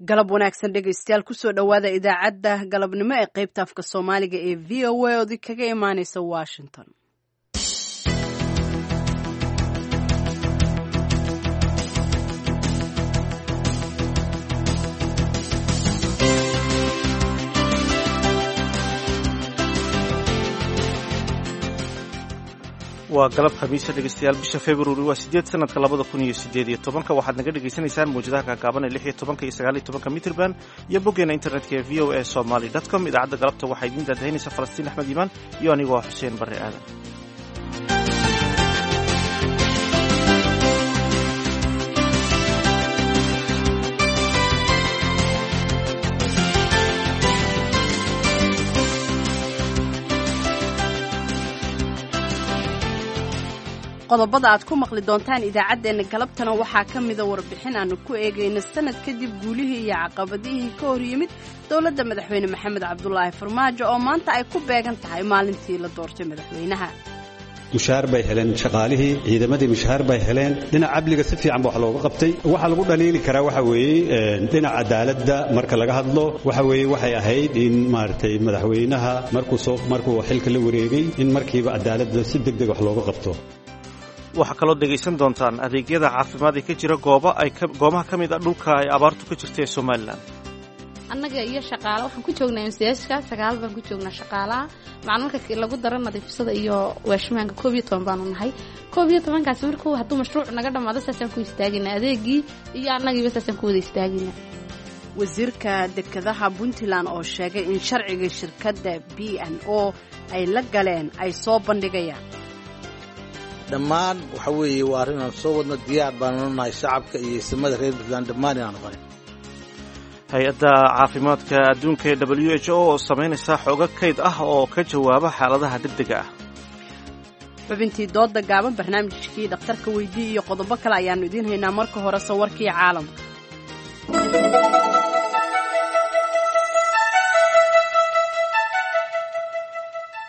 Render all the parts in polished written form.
Galab wanaagsan dhegaystayaal, kusoo dhowaada idaacadda galabnimo ee qaybta afka Soomaaliga ee VOA ood kaga imaaneysa Washington. Waa galab Khamiisa dhegeystayaal, bisha Februari waa 8 sanadka 2018-ka. Waxaad naga dhegaysanaysaan mawjadaha gaagaaban ee 16-ka iyo 19-ka mitrban iyo boggeena internetka ee voasomali.com. Idaacadda galabta waxaa idiin daadahinaysa Falastiin Axmed Iimaan iyo anigoo ah Xuseen Barre Aadan. Qodobada aad ku maqli doontaan idaacaddeenna galabtana waxaa ka mida warbixin aanu ku eegayno sanad kadib guulihii iyo caqabadihii ka hor yimid dowladda madaxweyne Maxamed Cabdulaahi Farmaajo, oo maanta ay ku beegan tahay maalintii la doortay madaxweynaha. Mushahaar bay heleen shaqaalihii, ciidamadii mushahaar bay heleen. Dhinaca amniga si fiican ba wax looga qabtay. Waxa lagu dhaliili karaa waxa weeye dhinaca cadaaladda marka laga hadlo, waxa weeye waxay ahayd in maaragtay madaxweynaha markuu xilka la wareegay in markiiba cadaaladda si degdeg wax looga qabto. Waxaa kaloo dhegaysan doontaan adeegyada caafimaad ee ka jira goobaha ka mid a dhulka ay abaartu ka jirta ee Somalilan. Annaga iyo shaqaale waxaan ku joognaa MCSka 9 baan ku joognaa shaqaalaha macna marka lagu daro nadiifsada iyo waashmaanka 11 baanu nahay. 11-kaasi markuu hadduu mashruuc naga dhammaado saasaan ku istaaginaa adeegii iyo annagiiba saasaan ku wada istaaginaa. Wasiirka dekedaha Puntland oo sheegay in sharciga shirkadda B&O ay la galeen ay soo bandhigayaan. Dhammaan waxa weeye waa arrin aan soo wadno, diyaar baanu nahay shacabka iyo ismada reer Puntland dhammaan inaan noqonay. Hay-adda caafimaadka adduunka ee WHO oo samaynaysa xoogo kayd ah oo ka jawaaba xaaladaha degdega ah. Xubintii dooda gaaban, barnaamijkii dhakhtarka weydii iyo qodobo kale ayaannu idiin haynaa. Marka horese warkii caalamka.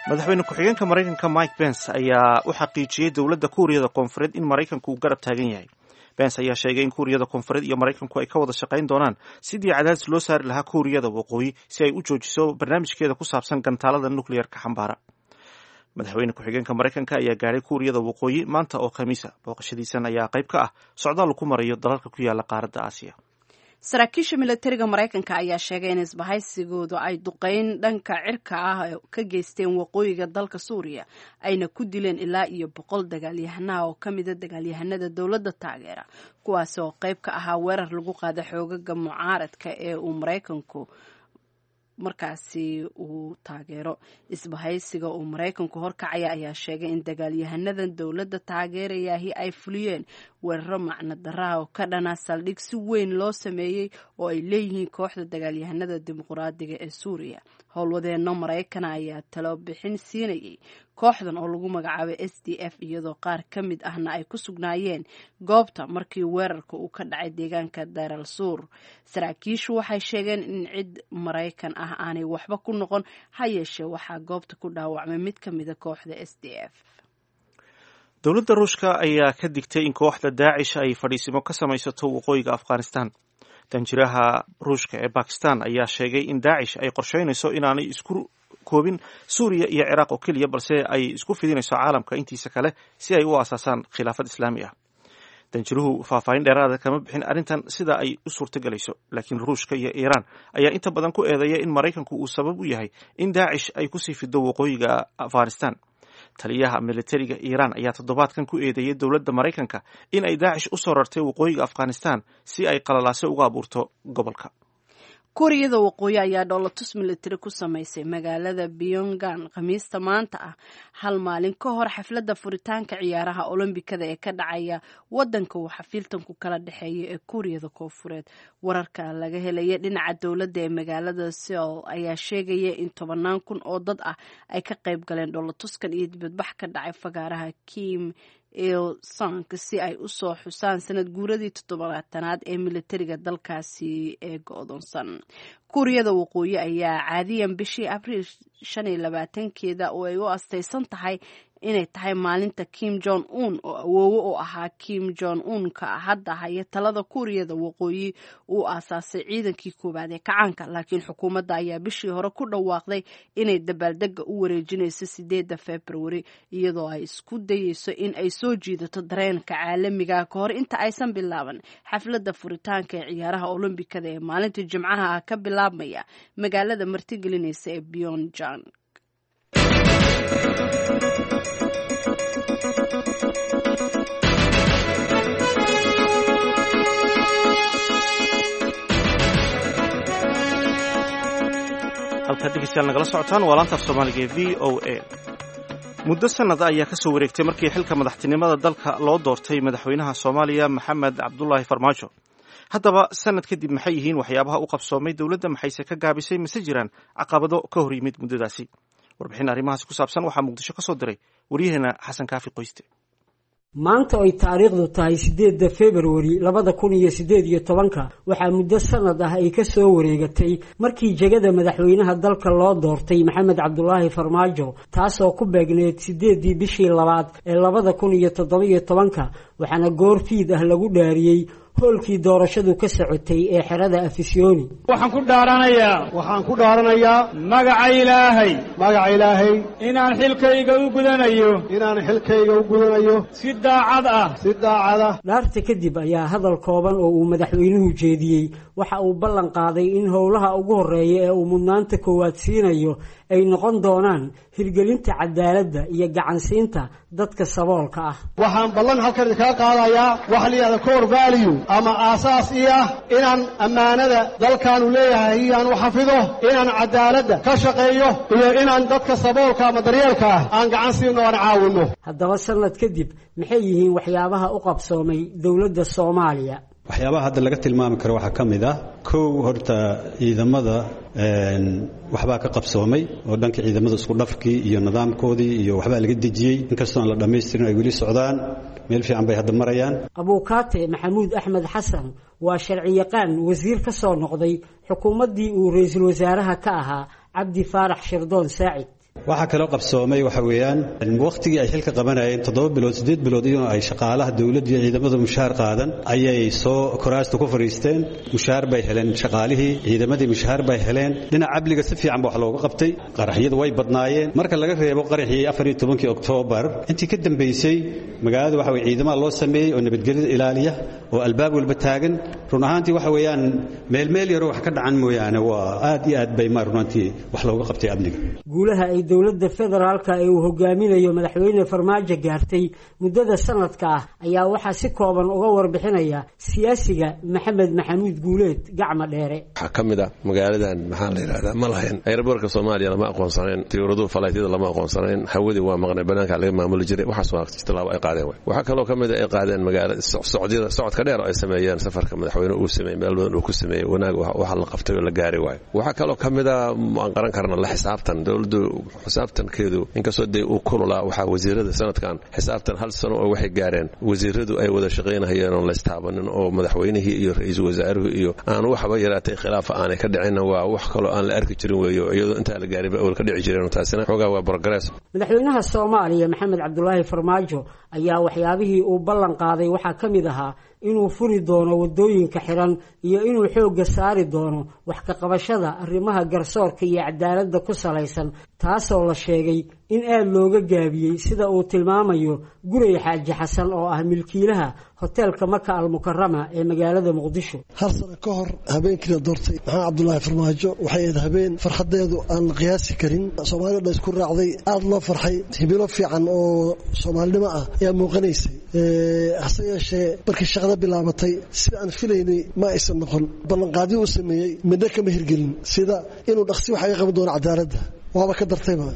Madaxweyne ku-xigeenka Maraykanka Mike Pence ayaa u xaqiijiyey dowladda Kuuriyada Koonfureed in Maraykanku uu garab taagan yahay. Pence ayaa sheegay in Kuuriyada Koonfureed iyo Maraykanku ay ka wada shaqayn doonaan sidii cadaadis loo saari lahaa Kuuriyada Waqooyi si ay u joojiso barnaamijkeeda ku saabsan gantaalada nucleer-ka xambaara. Madaxweyne ku-xigeenka Maraykanka ayaa gaadhay Kuuriyada Waqooyi maanta oo Khamiisa. Booqashadiisan ayaa qayb ka ah socdaal ku marayo dalalka ku yaala qaaradda Aasiya. Saraakiisha milatariga Maraykanka ayaa sheegay in isbahaysigoodu ay duqeyn dhanka cirka ah ka geysteen waqooyiga dalka Suuriya, ayna ku dileen ilaa iyo 100 dagaalyahanaha oo ka mida dagaalyahanada dowladda taageera, kuwaas oo qayb ka ahaa weerar lagu qaada xoogaga mucaaradka ee uu Maraykanku markaasi uu taageero. Isbahaysiga uu Maraykanku horkacaya ayaa sheegay in dagaalyahanadan dowladda taageerayahi ay fuliyeen weeraro macno daraha oo ka dhana saldhig si weyn loo sameeyey oo ay leeyihiin kooxda dagaalyahanada dimuqraadiga ee Suuriya. Howlwadeenno Maraykana ayaa talo bixin siinayay kooxdan oo lagu magacaabay SDF, iyadoo qaar ka mid ahna ay ku sugnaayeen goobta markii weerarka uu ka dhacay deegaanka Daaral Suur. Saraakiishu waxay sheegeen in cid Maraykan ah aanay waxba ku noqon, ha yeeshee waxaa goobta ku dhaawacmay mid ka mida kooxda SDF. Dowladda Ruushka ayaa ka digtay in kooxda Daacish ay fadhiisimo ka samaysato waqooyiga Afghanistan. Danjiraha Ruushka ee Bakistan ayaa sheegay in Daacish ay qorsheynayso inaanay isku koobin Suuriya iyo Ciraaq oo keliya, balse ay isku fidinayso caalamka intiisa kale si ay u aasaasaan khilaafad islaami ah. Danjiruhu faahfaahin dheeraada kama bixin arrintan sida ay u suurtagelayso, laakiin Ruushka iyo Iiraan ayaa inta badan ku eedeeya in Maraykanku uu sabab u yahay in Daacish ay kusii fido waqooyiga Afghanistan. Taliyaha militariga Iiraan ayaa toddobaadkan ku eedeeyey dowladda Maraykanka in ay Daacish u soo rartay waqooyiga Afghanistan si ay qalalaase uga abuurto gobolka. Kuuriyada Waqooyi ayaa dhoolatus militari ku samaysay magaalada Pyongyang Khamiista maanta ah, hal maalin ka hor xafladda furitaanka ciyaaraha Olombikada ee ka dhacaya wadanka uu xafiiltanku kala dhexeeya ee Kuuriyada Koonfureed. Wararka laga helaya dhinaca dowladda ee magaalada Seoul ayaa sheegaya in tobannaan kun oo dad ah ay ka qayb galeen dhoolatuskan iyo dibadbax ka dhacay fagaaraha Kim Il Sung si ay u soo xusaan sanad guuradii 70aad ee militariga dalkaasi ee go-doonsan. Kuuriyada Waqooyi ayaa caadiyan bishii Abriil 25-keeda oo ay u astaysan tahay inay tahay maalinta Kim Jong Un oo awoowo u ahaa Kim Jong Un-ka hadda haya talada Kuuriyada Waqooyi uu aasaasay ciidankii koowaad ee kacaanka. Laakiin xukuumadda ayaa bishii hore ku dhawaaqday inay dabaaldega u wareejinayso 8 Februari, iyadoo ay isku dayeyso in ay soo jiidato dareenka caalamiga ka hor inta aysan bilaaban xafladda furitaanka ee ciyaaraha Olombikada ee maalinta Jimcaha ah ka bilaabmaya magaalada martigelinaysa ee Pyongyang. Halkaad dhegeystayaal nagala socotaan waa laanta af Soomaaliga ee VOA. Muddo sanada ayaa ka soo wareegtay markii xilka madaxtinimada dalka loo doortay madaxweynaha Soomaaliya Maxamed Cabdulaahi Farmaajo. Haddaba sanad kadib, maxay yihiin waxyaabaha u qabsoomay dowladda? Maxayse ka gaabisay? Mise jiraan caqabado ka hor yimid muddadaasi? Warbixin arrimahaasi ku saabsan waxaa Muqdisho ka soo diray waryaheena Xasan Kaafi Qoyste. Maanta oy taariikhdu tahay 8 Februari 2018-ka, waxaa muddo sanad ah ay ka soo wareegatay markii jegada madaxweynaha dalka loo doortay Maxamed Cabdulaahi Farmaajo, taasoo ku beegneed 8-dii bishii labaad ee 2017-ka. Waxaana goor fiid ah lagu dhaariyey hoolkii doorashadu ka socotay ee xerada Afisyooni. Waxaan ku dhaaranayaa, waxaan ku dhaaranayaa magaca Ilaahay, magaca Ilaahay, inaan xilkayga u gudanayo, inaan xilkayga u gudanayo si daacad ah, si daacad ah. Dhaarta kadib ayaa hadal kooban oo uu madaxweynuhu jeediyey waxa uu ballan qaaday in howlaha ugu horreeya ee uu mudnaanta koowaad siinayo ay noqon doonaan hirgelinta cadaaladda iyo gacansiinta dadka saboolka ah. Waxaan ballan halkan idinkaga qaadayaa waxa la yidhahda core value ama aasaas ii ah, inaan ammaanada dalkaanu leeyahay iyaan u xafido, inaan cadaaladda ka shaqeeyo iyo inaan dadka saboolka ama daryeelka ah aan gacan siino, aan caawinno. Haddaba sanad kadib, maxay yihiin waxyaabaha u qabsoomay dowladda Soomaaliya? Waxyaabaha hadda laga tilmaami karo waxaa ka mid ah, kow, horta ciidamada waxbaa ka qabsoomay oo dhanka ciidamada isku dhafkii iyo nidaamkoodii iyo waxbaa laga dejiyey, inkastoo aan la dhammaystirin, ay weli socdaan, meel fiican bay hadda marayaan. Abuukaate Maxamuud Axmed Xasan waa sharciyaqaan wasiir ka soo noqday xukuumaddii uu ra-iisul wasaaraha ka ahaa Cabdi Faarax Shirdoon Saacid. Waxaa kaloo qabsoomay waxa weeyaan, wakhtigii ay xilka qabanayeen 7 bilood, 8 bilood, iyadoo ay shaqaalaha dowladda iyo ciidamada mushaar qaadan ayay soo kuraasta ku fadhiisteen. Mushaar bay heleen shaqaalihii, ciidamadii mushaar bay heleen. Dhinaca amniga si fiican ba wax looga qabtay. Qaraxyadu way badnaayeen, marka laga reebo qaraxii 14-kii Oktoobar. Intii ka dambaysay magaalada waxa weye ciidamada loo sameeyey oo nabadgelyada ilaaliya oo albaab walba taagan. Run ahaantii waxa weeyaan meel meel yaro wax ka dhacan mooyaane, waa aad iyo aad bay ma run ahaantii wax looga qabtay amniga. Guulaha ay dowladda federaalka ee uu hogaaminayo madaxweyne Farmaajo gaartay muddada sanadka ah ayaa waxaa si kooban uga warbixinaya siyaasiga Maxamed Maxamuud Guuleed Gacma Dheere. Waxaa ka mid ah magaaladan, maxaa la yidhahdaa, ma lahayn airboortka Soomaaliya, lama aqoonsanayn diyuuraduhu, falaytyada lama aqoonsanayn, hawadii waa maqnay, banaanka laga maamuli jiray. Waxaas waa tallaabo ay qaadeen. Way waxaa kaloo ka mid a ay qaadeen magaala socdyada, socodka dheer oo ay sameeyeen, safarka madaxweyne uu sameeyey, meel badan uu ku sameeyey, wanaag waxa la qabtay oo la gaaray waayo. Waxaa kaloo ka mid a aan qaran karna la xisaabtan dowladdu, xisaabtankeedu inkastoo dee uu kululaa, waxaa wasiirada sanadkan xisaabtan hal sano oo waxay gaareen wasiiradu ay wada shaqaynahayeen oon laystaabanin, oo madaxweynihii iyo ra-iisul wasaaruhu iyo aan waxba yaraatay khilaafa aanay ka dhicinna. Waa wax kaloo aan la arki jirin weeyo, iyadoo intaa la gaarinba awal ka dhici jireen. Taasina xoogaa waa progress. Madaxweynaha Soomaaliya Maxamed Cabdulaahi Farmaajo ayaa waxyaabihii uu ballan qaaday waxaa ka mid ahaa inuu furi doono waddooyinka xiran iyo inuu xoogga saari doono wax ka qabashada arrimaha garsoorka iyo cadaaladda ku salaysan, taasoo la sheegay in aada looga gaabiyey, sida uu tilmaamayo Gurey Xaaji Xasan oo ah milkiilaha hoteelka Maka Almukarama ee magaalada Muqdisho. Hal sano ka hor habeenkii la doortay Maxamed Cabdulaahi Farmaajo waxay ahayd habeen farxadeedu aan la qiyaasi karin. Soomaalida dhan isku raacday, aada loo farxay, hibilo fiican oo soomaalinimo ah ayaa muuqanaysay. Hase yeeshee markii shaqada bilaabatay, sida aan filaynay ma aysan noqon. Ballanqaadyo uu sameeyey midna kama hirgelin, sida inuu dhaqsi wax aga qaban doono cadaaladda, waaba ka dartayba.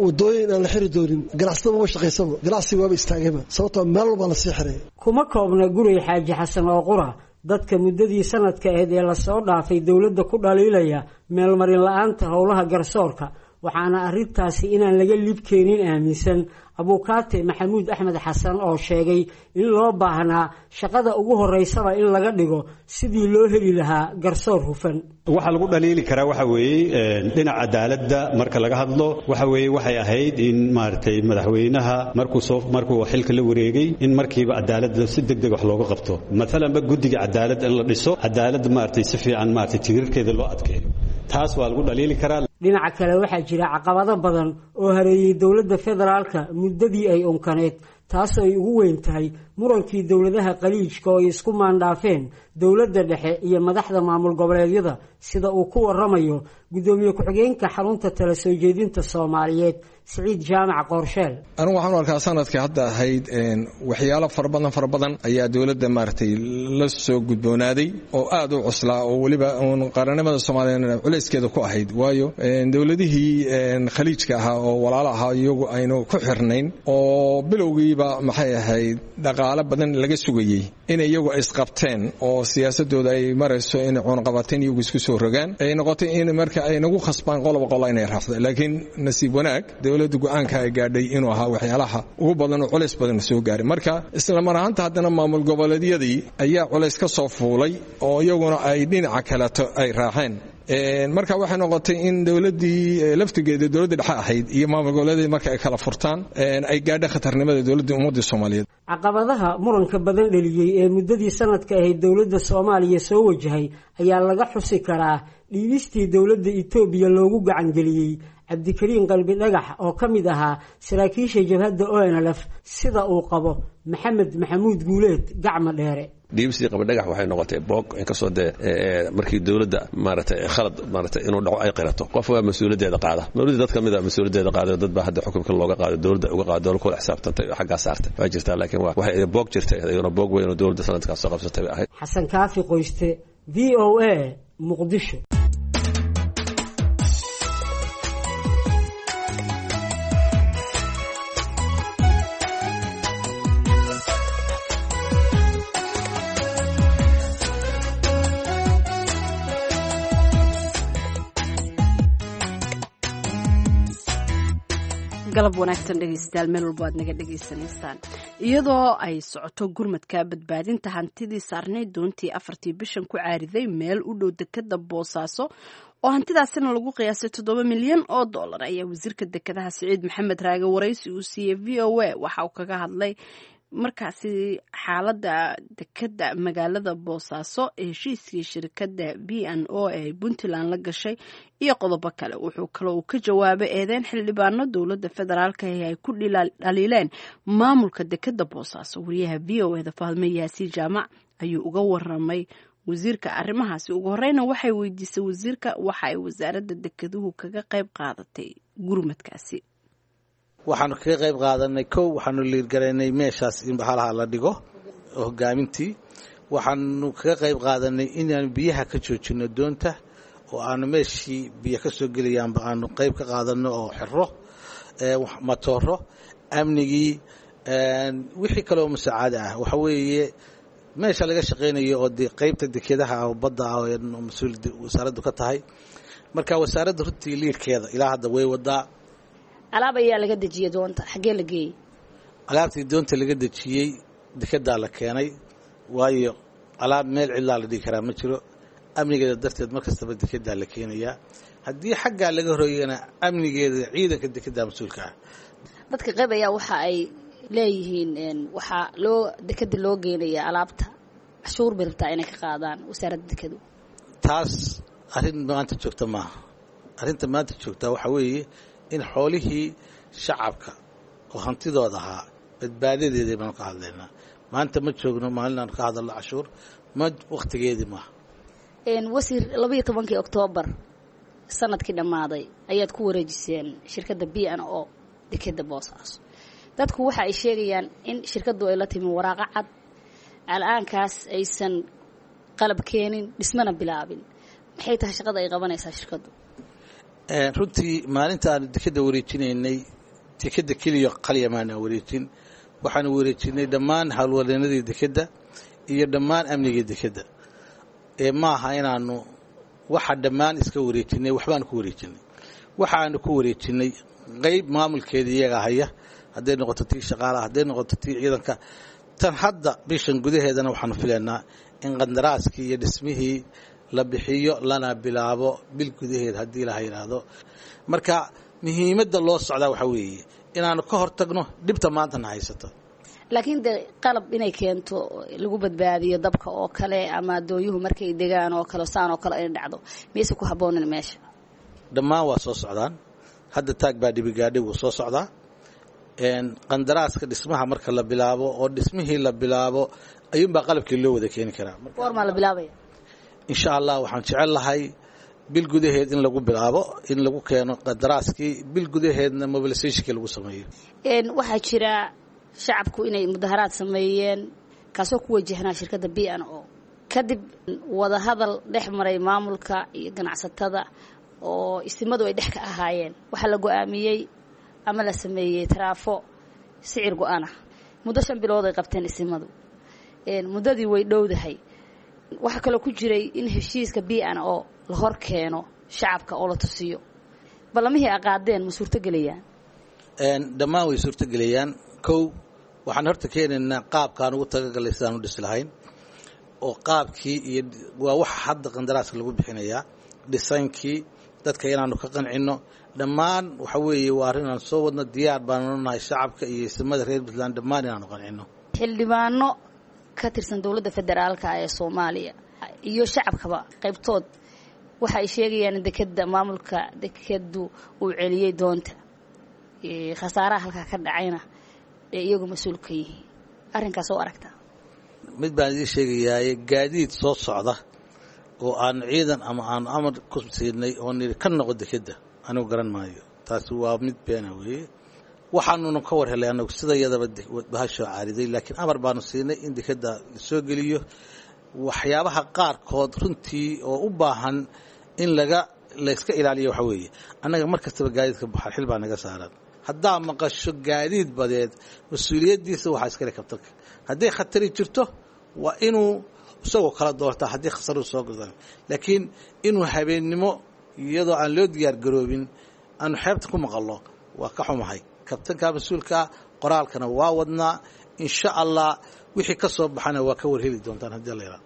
Wadooyin aan la xiri doonin, ganacsatada maba shaqaysaba, ganacsiga waaba istaagayba, sababtoo meel walbaa lasii xiray. Kuma koobna Gurey Xaaji Xasan oo qura dadka muddadii sanadka ahayd ee lasoo dhaafay dowladda ku dhaliilaya meelmarin la-aanta howlaha garsoorka. Waxaana arrintaasi inaan laga lib keenin aaminsan Abuukaate Maxamuud Axmed Xasan oo sheegay in loo baahnaa shaqada ugu horeysaba in laga dhigo sidii loo heli lahaa garsoor hufan. Waxaa lagu dhaliili karaa waxa weeye dhinaca cadaaladda marka laga hadlo, waxa weeye waxay ahayd in maaragtay madaxweynaha markuu xilka la wareegay in markiiba cadaaladda si degdeg wax looga qabto. Maalanba guddiga cadaaladda in la dhiso, cadaaladda maaragtay si fiican maaragtay tiirarkeeda loo adkeeyo, taas waa lagu dhaliili karaa. Dhinaca kale waxaa jira caqabado badan oo hareeyey dowladda federaalka muddadii ay unkaneed, taasoo ay ugu weyn tahay murankii dowladaha qaliijka oo ay isku maandhaafeen dowladda dhexe iyo madaxda maamul goboleedyada, sida uu ku waramayo guddoomiye ku-xigeenka xarunta tala soo jeedinta Soomaaliyeed Siciid Jaamac Qoorsheel. Anigu waxaan u arkaa sanadkii hadda ahayd waxyaalo fara badan ayaa dowladda maaragtay la soo gudboonaaday oo aad u cuslaa, oo weliba uun qaranimada Soomaaliyeed culayskeeda ku ahayd. Waayo dowladihii khaliijka ahaa oo walaalo ahaa iyagu aynu ku xirnayn oo bilowgiiba maxay ahayd dhaqaale badan laga sugayey in iyagu isqabteen oo siyaasadooda ay marayso inay cuunqabateen iyagu isku soo rogaan, ay noqotay in marka ay nagu khasbaan qoloba qola inay raacdo. Laakiin nasiib wanaag dowladda go-aanka ay gaadhay inuu ahaa waxyaalaha ugu badan oo culays badan soo gaaray. Marka isla mar ahaanta haddana maamul goboleedyadii ayaa culays ka soo fuulay oo iyaguna ay dhinaca kaleto ay raaceen. Marka waxay noqotay in dowladdii laftigeeda dowladda dhexe ahayd iyo maamul goboleedyadii marka ay kala furtaan ay gaadha khatarnimada dowladda ummadda Soomaaliyeed. Caqabadaha muranka badan dhaliyey ee muddadii sanadka ahayd dowladda Soomaaliya soo wajahay ayaa laga xusi karaa dhiibistii dowladda Itoobiya loogu gacangeliyey Cabdikariin Qalbi Dhagax oo ka mid ahaa saraakiisha jabhadda ONLF, sida uu qabo Maxamed Maxamuud Guuleed Gacmo Dheere. Dhiibistii Qalbidhagax waxay noqotay boog, inkastoo dee markii dowladda maaragtay khalad maaragtay inuu dhaco ay qirato, qof waa mas-uuliyaddeeda qaada. Dowladda dad ka mid a mas-uuliyaddeeda qaaday, dad baa hadda xukunka looga qaaday, dowladda uga qaaday, dowlad kula xisaabtantay oo xaggaa saartay waa jirtaa. Laakiin waxay boog jirtay iyaduna boog weyn oo dowladda sanadkaas soo qabsatay bay ahayd. Xasan Kaafi Qoyste, VOA, Muqdisho. Galab wanaagsan dhegeystayaal, meel walbo aad naga dhegeysanaysaan. Iyadoo ay socoto gurmadka badbaadinta hantidii saarnayd doontii 4tii bishan ku caariday meel u dhow dekada Boosaaso oo hantidaasina lagu qiyaasay $7 milyan ayaa wasiirka dekedaha Siciid Maxamed Raage waraysi uu siiyey VOA waxa uu kaga hadlay markaasi xaaladda dekeda magaalada Boosaaso, heshiiskii shirkadda B&O ee Puntland la gashay iyo qodobo kale. Wuxuu kaloo uu ka jawaabay eedeyn xildhibaano dowladda federaalka ee ay ku dhaliileen maamulka dekeda Boosaaso. Wariyaha VOA da Fahme Yaasiin Jaamac ayuu uga waramay wasiirka arrimahaasi. Ugu horeyna waxay weydiisay wasiirka waxa ay wasaaradda dekeduhu kaga qayb qaadatay gurmadkaasi. Waxaanu kaga qayb qaadanay, kow, waxaanu liirgaraynay meeshaas in bahalaha la dhigo hogaamintii. Waxaanu kaga qayb qaadanay inaanu biyaha ka joojino doonta oo aanu meeshii biyo ka soo gelayaanba aanu qayb ka qaadano oo xiro matooro, amnigii, wixii kaleoo musaacada ah. Waxa weeye meesha laga shaqaynayo oo dee qaybta dekedaha oo badda ah oo mas-uul wasaaraddu ka tahay. Marka wasaaradda runtii liirkeeda ilaa hadda way wadaa. Alaab ayaa laga dejiyey doonta, xaggee la geeyey? Alaabtii doonta laga dejiyey dekedaa la keenay, waayo alaab meel cidlaa la dhigi karaa ma jiro. Amnigeeda darteed mar kastaba dekedaa la keenayaa. Haddii xaggaa laga horreeyana amnigeeda ciidanka dekedaa mas-uulka ah. Dadka qayb ayaa waxa ay leeyihiin waxaa loo dekeda loo geenaya alaabta cashuur bay rabtaa inay ka qaadaan wasaaradda dekedu. Taas arrin maanta joogta maaha. Arrinta maanta joogtaa waxaa weeye in xoolihii shacabka oo hantidooda ahaa badbaadadeedii baanu ka hadlaynaa. Maanta ma joogno maalin aanu ka hadalno cashuur, ma wakhtigeedii maaha. Wasiir, 12-kii Oktoobar sanadkii dhammaaday ayaad ku wareejiseen shirkadda B&O dekeda Boosaaso. Dadku waxa ay sheegayaan in shirkaddu ay la timi waraaqo cad, al-aankaas aysan qalab keenin, dhismana bilaabin. Maxay tahay shaqada ay qabanaysaa shirkaddu? Runtii maalinta aanu dekeda wareejinaynay, dekeda keliya qaliya maanaan wareejin. Waxaanu wareejinay dhammaan howlwadeenadii dekeda iyo dhammaan amnigii dekeda. Ee maaha inaanu waxa dhammaan iska wareejinay, waxbaanu ku wareejinay. Waxaanu ku wareejinay qayb maamulkeeda iyaga haya, hadday noqoto tii shaqaalaha, hadday noqoto tii ciidanka. Tan hadda bishan gudaheedana waxaanu filaynaa in qandaraaskii iyo dhismihii la bixiyo lana bilaabo bil gudaheed haddii laha yidhaahdo. Marka muhiimadda loo socdaa waxaa weeye inaanu ka hortagno dhibta maantana haysato. Laakiin dee qalab inay keento lagu badbaadiyo dabka oo kale ama doonyuhu markay degaan oo kale saan oo kale inay dhacdo, miyayse ku habboonin meesha? Dhammaan waa soo socdaan. Hadda taag baa dhibigaadhi wuu soo socdaa. Qandaraaska dhismaha marka la bilaabo oo dhismihii la bilaabo ayuunbaa qalabkii loo wada keeni karaa. Goormaa la bilaabaya? Insha Allah waxaan jecel lahay bil gudaheed in lagu bilaabo, in lagu keeno qandaraaskii, bil gudaheedna mobilisationkii lagu sameeyo. Waxaa jira shacabku inay mudaharaad sameeyeen kaasoo ku wajahnaa shirkadda B N O, kadib wadahadal dhex maray maamulka iyo ganacsatada oo isimadu ay dhex ka ahaayeen. Waxaa la go-aamiyey ama la sameeyey taraafo sicir go-ana muddo 5 bilood ay qabteen isimadu. Muddadii way dhowdahay. Waxaa kaloo ku jiray in heshiiska B N O la hor keeno shacabka oo la tusiyo. Ballamihii a qaadeen ma suurtogelayaan? Dhammaan way suurtogelayaan. Kow, waxaan horta keenaynaa qaabkaan ugu tagagalay sidaan u dhisi lahayn oo qaabkii iyo waa waxa hadda qandaraaska lagu bixinayaa, dhisaynkii dadka inaanu ka qancino. Dhammaan waxa weeye waa arrin aan soo wadno, diyaar baanu nahay shacabka iyo isimada reer Puntland dhammaan inaanu qancino. Xildhibaano ka tirsan dowladda federaalka ee Soomaaliya iyo shacabkaba qaybtood waxa ay sheegayaan in dekeda maamulka dekedu uu celiyey doonta, khasaaraha halkaa ka dhacayna ee iyagu mas-uul ka yihiin. Arrinkaas oo aragtaa? Mid baan idiin sheegayaaye, gaadiid soo socda oo aan ciidan ama aanu amar ku siinay oo niri ka noqo dekedda anigu garan maayo. Taasi waa mid beena weeye. Waxaanuna ka war helay anagu sida iyadaba bahashoo caariday, laakiin amar baanu siinay in dekedda la soo geliyo. Waxyaabaha qaarkood runtii oo u baahan in laga layska ilaaliyo waxa weeye, annaga mar kastaba gaadiidka baxar xil baa naga saaran. Haddaa maqasho gaadiid badeed, mas-uuliyaddiisa waxaa iskale kabtanka. Hadday khatari jirto waa inuu isagoo kala doortaa haddii khasaruhu soo godan, laakiin inuu habeennimo iyadoo aan loo diyaar garoobin aanu xeebta ku maqallo waa ka xumahay. Kabtanka mas-uulkaa qoraalkana waa wadnaa, insha Allah wixii ka soo baxana waa ka warheli doontaan haddii la yidhaahdo.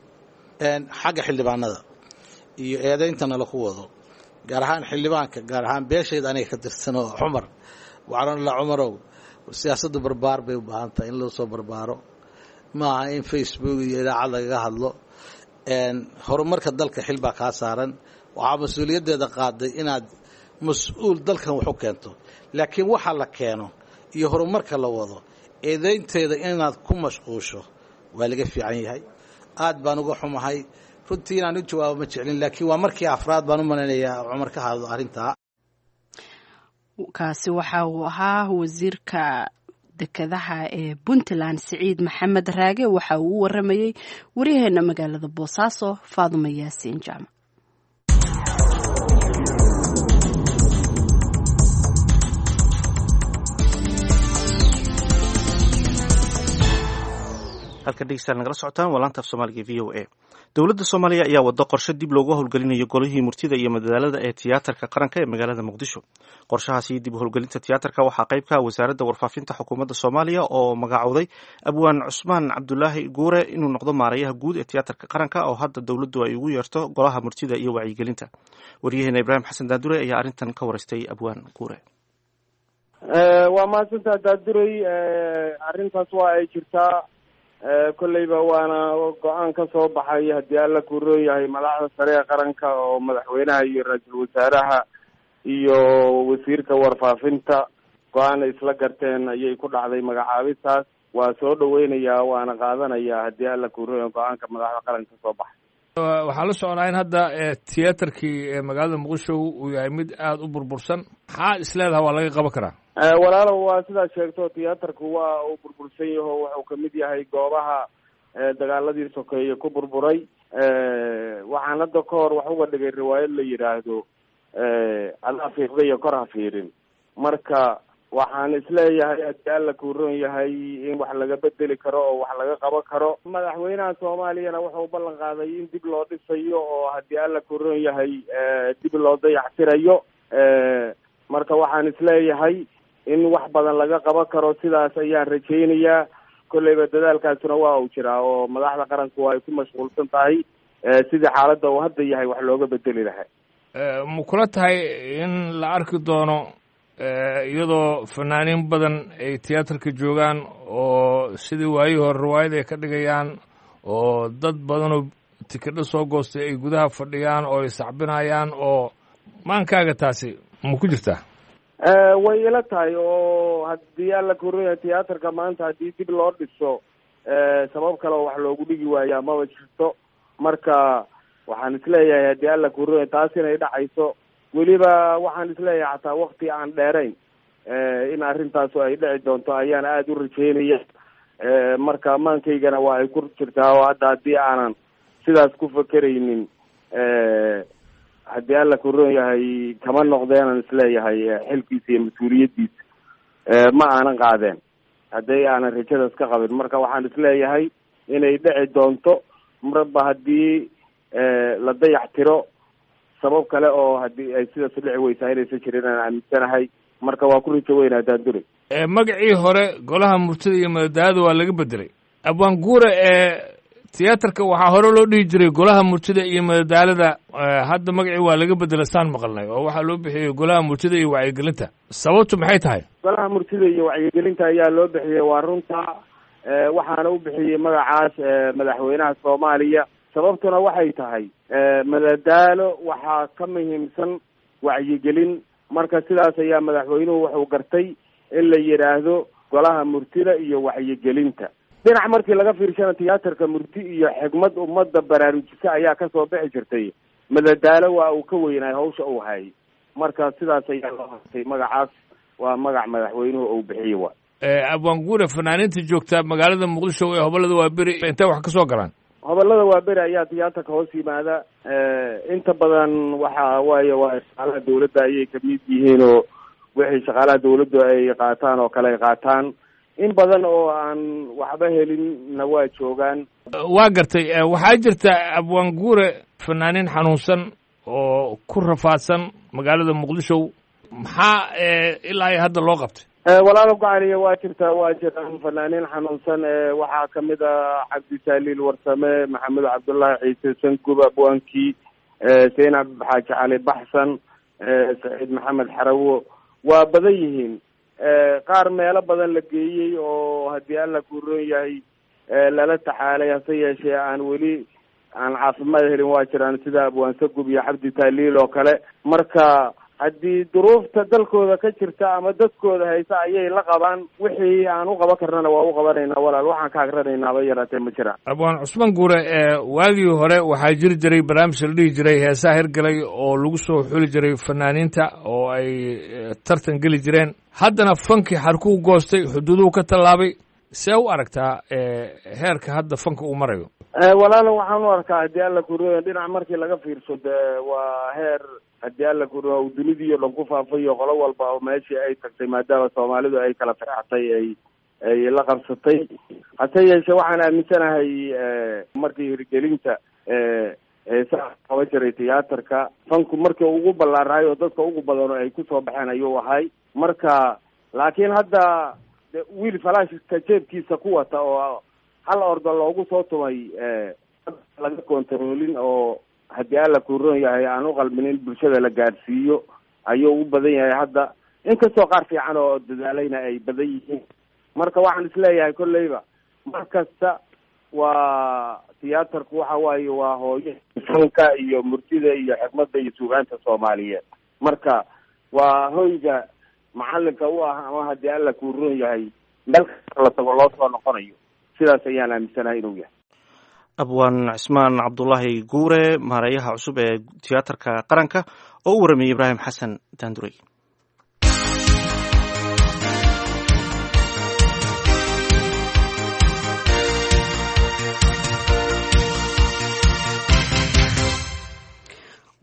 Xagga xildhibaanada iyo eedayntana laku wado, gaar ahaan xildhibaanka, gaar ahaan beeshayda aniga ka tirsanoo Cumar, waxaan la Cumarow, siyaasaddu barbaar bay u baahan tahay in loo soo barbaaro, maaha in Facebook iyo idaacad lagaga hadlo. Horumarka dalka xil baa kaa saaran, waxaa mas-uuliyaddeeda qaaday inaad mas-uul dalkan wax u keento, laakiin waxa la keeno iyo horumarka la wado eedaynteeda inaad ku mashquusho waa laga fiican yahay. Aad baan uga xumahay runtii inaan u jawaabo ma jeclin, laakiin waa markii afraad baan u malaynayaa Cumar ka hadlo arrintaa. Kaasi waxa uu ahaa wasiirka dekedaha ee Puntland Siciid Maxamed Raage. Waxa uu u waramayey waryaheena magaalada Boosaaso Faadumo Yaasiin Jaamac. Halka dhegeystayaal nagala socotaan waa laanta af Soomaaliga V O A. Dowladda Soomaaliya ayaa wado qorshe dib loogu howlgelinayo golihii murtida iyo madadaalada ee tiyaatarka qaranka ee magaalada Muqdisho. Qorshahaasi dib u howlgelinta tiyaatarka waxaa qayb ka ah wasaaradda warfaafinta xukuumadda Soomaaliya oo magacowday abwaan Cusmaan Cabdulaahi Guure inuu noqdo maarayaha guud ee tiyaatarka qaranka oo hadda dowladdu ay ugu yeerto golaha murtida iyo wacyigelinta. Waryaheena Ibraahim Xasan Daandure ayaa arrintan ka waraystay abwaan Guure. Waa mahadsantaa Daadurey. Arrintaas waa ay jirtaa kolleyba, waana go-aan ka soo baxay haddii Alla kuroon yahay madaxda sare ee qaranka oo madaxweynaha iyo ra-iisul wasaaraha iyo wasiirka warfaafinta go-aan ay isla garteen ayay ku dhacday magacaabistaas. Waa soo dhaweynayaa waana qaadanayaa haddii Alla kuroon yahay go-aanka madaxda qaranka kasoo baxay. Waxaa la socnaa in hadda tiyaatarkii magaalada Muqdisho uu yahay mid aada u burbursan. Maxaa isleedaha waa laga qaban karaa? Walaalow, waa sidaad sheegto, tiyaatarku waa uu burbursan yaho, wuxuu kamid yahay goobaha dagaaladii sokeeye ku burburay. Waxaan hadda ka hor wax uga dhigay riwaayad la yidhaahdo adaa fiiqda iyo kor ha fiirin. Marka waxaan isleeyahay haddii Alla kuuron yahay in wax laga bedeli karo oo wax laga qaban karo. Madaxweynaha Soomaaliyana wuxuu ballan qaaday in dib loo dhisayo oo haddii Alla kuuron yahay dib loo dayactirayo. Marka waxaan isleeyahay in wax badan laga qaban karo, sidaas ayaan rajaynayaa. Kolleyba dadaalkaasuna waa uu jiraa oo madaxda qaranku ay ku mashquulsan tahay sidii xaaladda uu hadda yahay wax looga bedeli lahaa. Ma kula tahay in la arki doono iyadoo fanaaniin badan ay tiyaatarka joogaan oo sidii waayihii hore riwaayad ay ka dhigayaan, oo dad badanoo tikidho soo goostay ay gudaha fadhiyaan oo ay sacbinayaan, oo maankaaga taasi ma ku jirtaa? Way ila tahay, oo haddii alla koraya tiyaatarka maanta haddii dib loo dhiso, sabab kale oo wax loogu dhigi waayaa maba jirto. Marka waxaan isleeyahay haddii alla koraya taas inay dhacayso. Weliba waxaan isleeyahay xataa wakti aan dheerayn in arrintaasu ay dhici doonto ayaan aada u rajeynaya. Marka maankaygana waa ay ku jirtaa, oo hadda haddii aanan sidaas ku fakeraynin, haddii alla koron yahay kama noqdeenan isleeyahay xilkiisa iyo mas-uuliyaddiisa ma aanan qaadeen haddii aanan rajadaas ka qabin. Marka waxaan isleeyahay inay dhici doonto marba haddii la dayax tiro, sabab kale oo haddii ay sidaas dhici weysaa inaysan jirin aan aaminsanahay. Marka waa ku rajo weyn haddaan dulay. Magacii hore Golaha Murtida iyo Madadaalada waa laga bedelay, Abwaan Guure. Ee tiyaatarka waxaa hore loo dhihi jiray Golaha Murtida iyo Madadaalada, hadda magacii waa laga bedelay saan maqalnay, oo waxaa loo bixiyey Golaha Murtida iyo Wacyigelinta. Sababtu maxay tahay? Golaha Murtida iyo Wacyigelinta ayaa loo bixiyey, waa runta. Waxaana u bixiyey magacaas madaxweynaha Soomaaliya. Sababtuna waxay tahay madadaalo waxaa ka muhiimsan wacyigelin. Marka sidaas ayaa madaxweynuhu wuxuu gartay in la yidhaahdo Golaha Murtida iyo Wacyigelinta. Dhinac markii laga fiirshana, tiyaatarka murti iyo xigmad ummadda baraarujisa ayaa kasoo bixi jirtay. Madadaalo waa uu ka weynaay hawsha uu hayay. Marka sidaas ayaa loo hartay magacaas, waa magac madaxweynuhu uu bixiyey. Wa Abwaan Guure, fanaaniinta joogta magaalada Muqdisho ee hobolada Waaberi intay wax ka soo galaan? Hobolada Waaberi ayaa tiyaatarka hoos yimaada. Inta badan waxa waaye waa shaqaalaha dawladda ayay kamid yihiin, oo wixii shaqaalaha dawladdu ay qaataan oo kale ay qaataan. In badan oo aan waxba helinna waa joogaan. Waa gartay. Waxaa jirta, Abwaan Guure, fanaaniin xanuunsan oo ku rafaadsan magaalada Muqdisho. Maxaa ilaa iyo hadda loo qabtay? Walaalo gacaliya, waa jirtaa, waa jiraan fanaaniin xanuunsan. Waxaa kamid ah Cabdisaaliil Warsame, Maxamed Cabdullaahi Ciise Sangub, abwaankii Seynab Xaaji Cali Baxsan, Saciid Maxamed Xarawo. Waa badan yihiin. Qaar meelo badan la geeyey oo haddii alla kuroon yahay lala taxaalay, hase yeeshee aan weli aan caafimaad helin waa jiraan, sida Abwaan Sagub iyo Cabdi Taaliil oo kale. Marka haddii duruufta dalkooda ka jirta ama dadkooda haysa ayay la qabaan, wixii aan u qaban karnana waa u qabanaynaa walaal. Waxaan ka agranaynaa ba yaraatee ma jiraan. Abwaan Cusmaan Guure, waagii hore waxaa jiri jiray barnaamij la dhihi jiray Heesaha Hirgalay oo lagu soo xuli jiray fanaaniinta oo ay tartan geli jireen. Haddana fankii xarkuu goostay, xuduuduhu ka tallaabay. See u aragtaa heerka hadda fanka uu marayo? Walaalo, waxaan u arkaa haddii alla kuriyo dhinac markii laga fiirsho, de waa heer haddii alla kuriyo uu dunidii o dhan ku faafayo, qolo walba oo meeshii ay tagtay, maadaama Soomaalidu ay kala firxatay ay la qabsatay. Hase yeeshee waxaan aaminsanahay markii hirgelinta heesaha qaban jiray tiyaatarka, fanku markii ugu ballaarahay oo dadka ugu badan oo ay kusoo baxeen ayuu ahay. Marka laakiin hadda wiil falaashka jeebkiisa ku wata oo hal ordo loogu soo tumay, laga kontaroolin, oo haddii alla kuroon yahay aan u qalmin in bulshada la gaadhsiiyo ayuu u badan yahay hadda, inkastoo qaar fiican oo dadaalayna ay badan yihiin. Marka waxaan isleeyahay kolleyba mar kasta waa tiyaatarku waxa waaye waa hooyo fanka iyo murtida iyo xikmadda iyo suugaanta Soomaaliyeed. Marka waa hoyga macalinka u ah ama haddii alla kuroon yahay meel kasta la tago loo soo noqonayo. Sidaas ayaan aaminsanahay inuu yahay. Abwaan Cismaan Cabdulaahi Guure, maareeyaha cusub ee tiyaatarka qaranka, oo u waramayey Ibraahim Xasan Daandurey.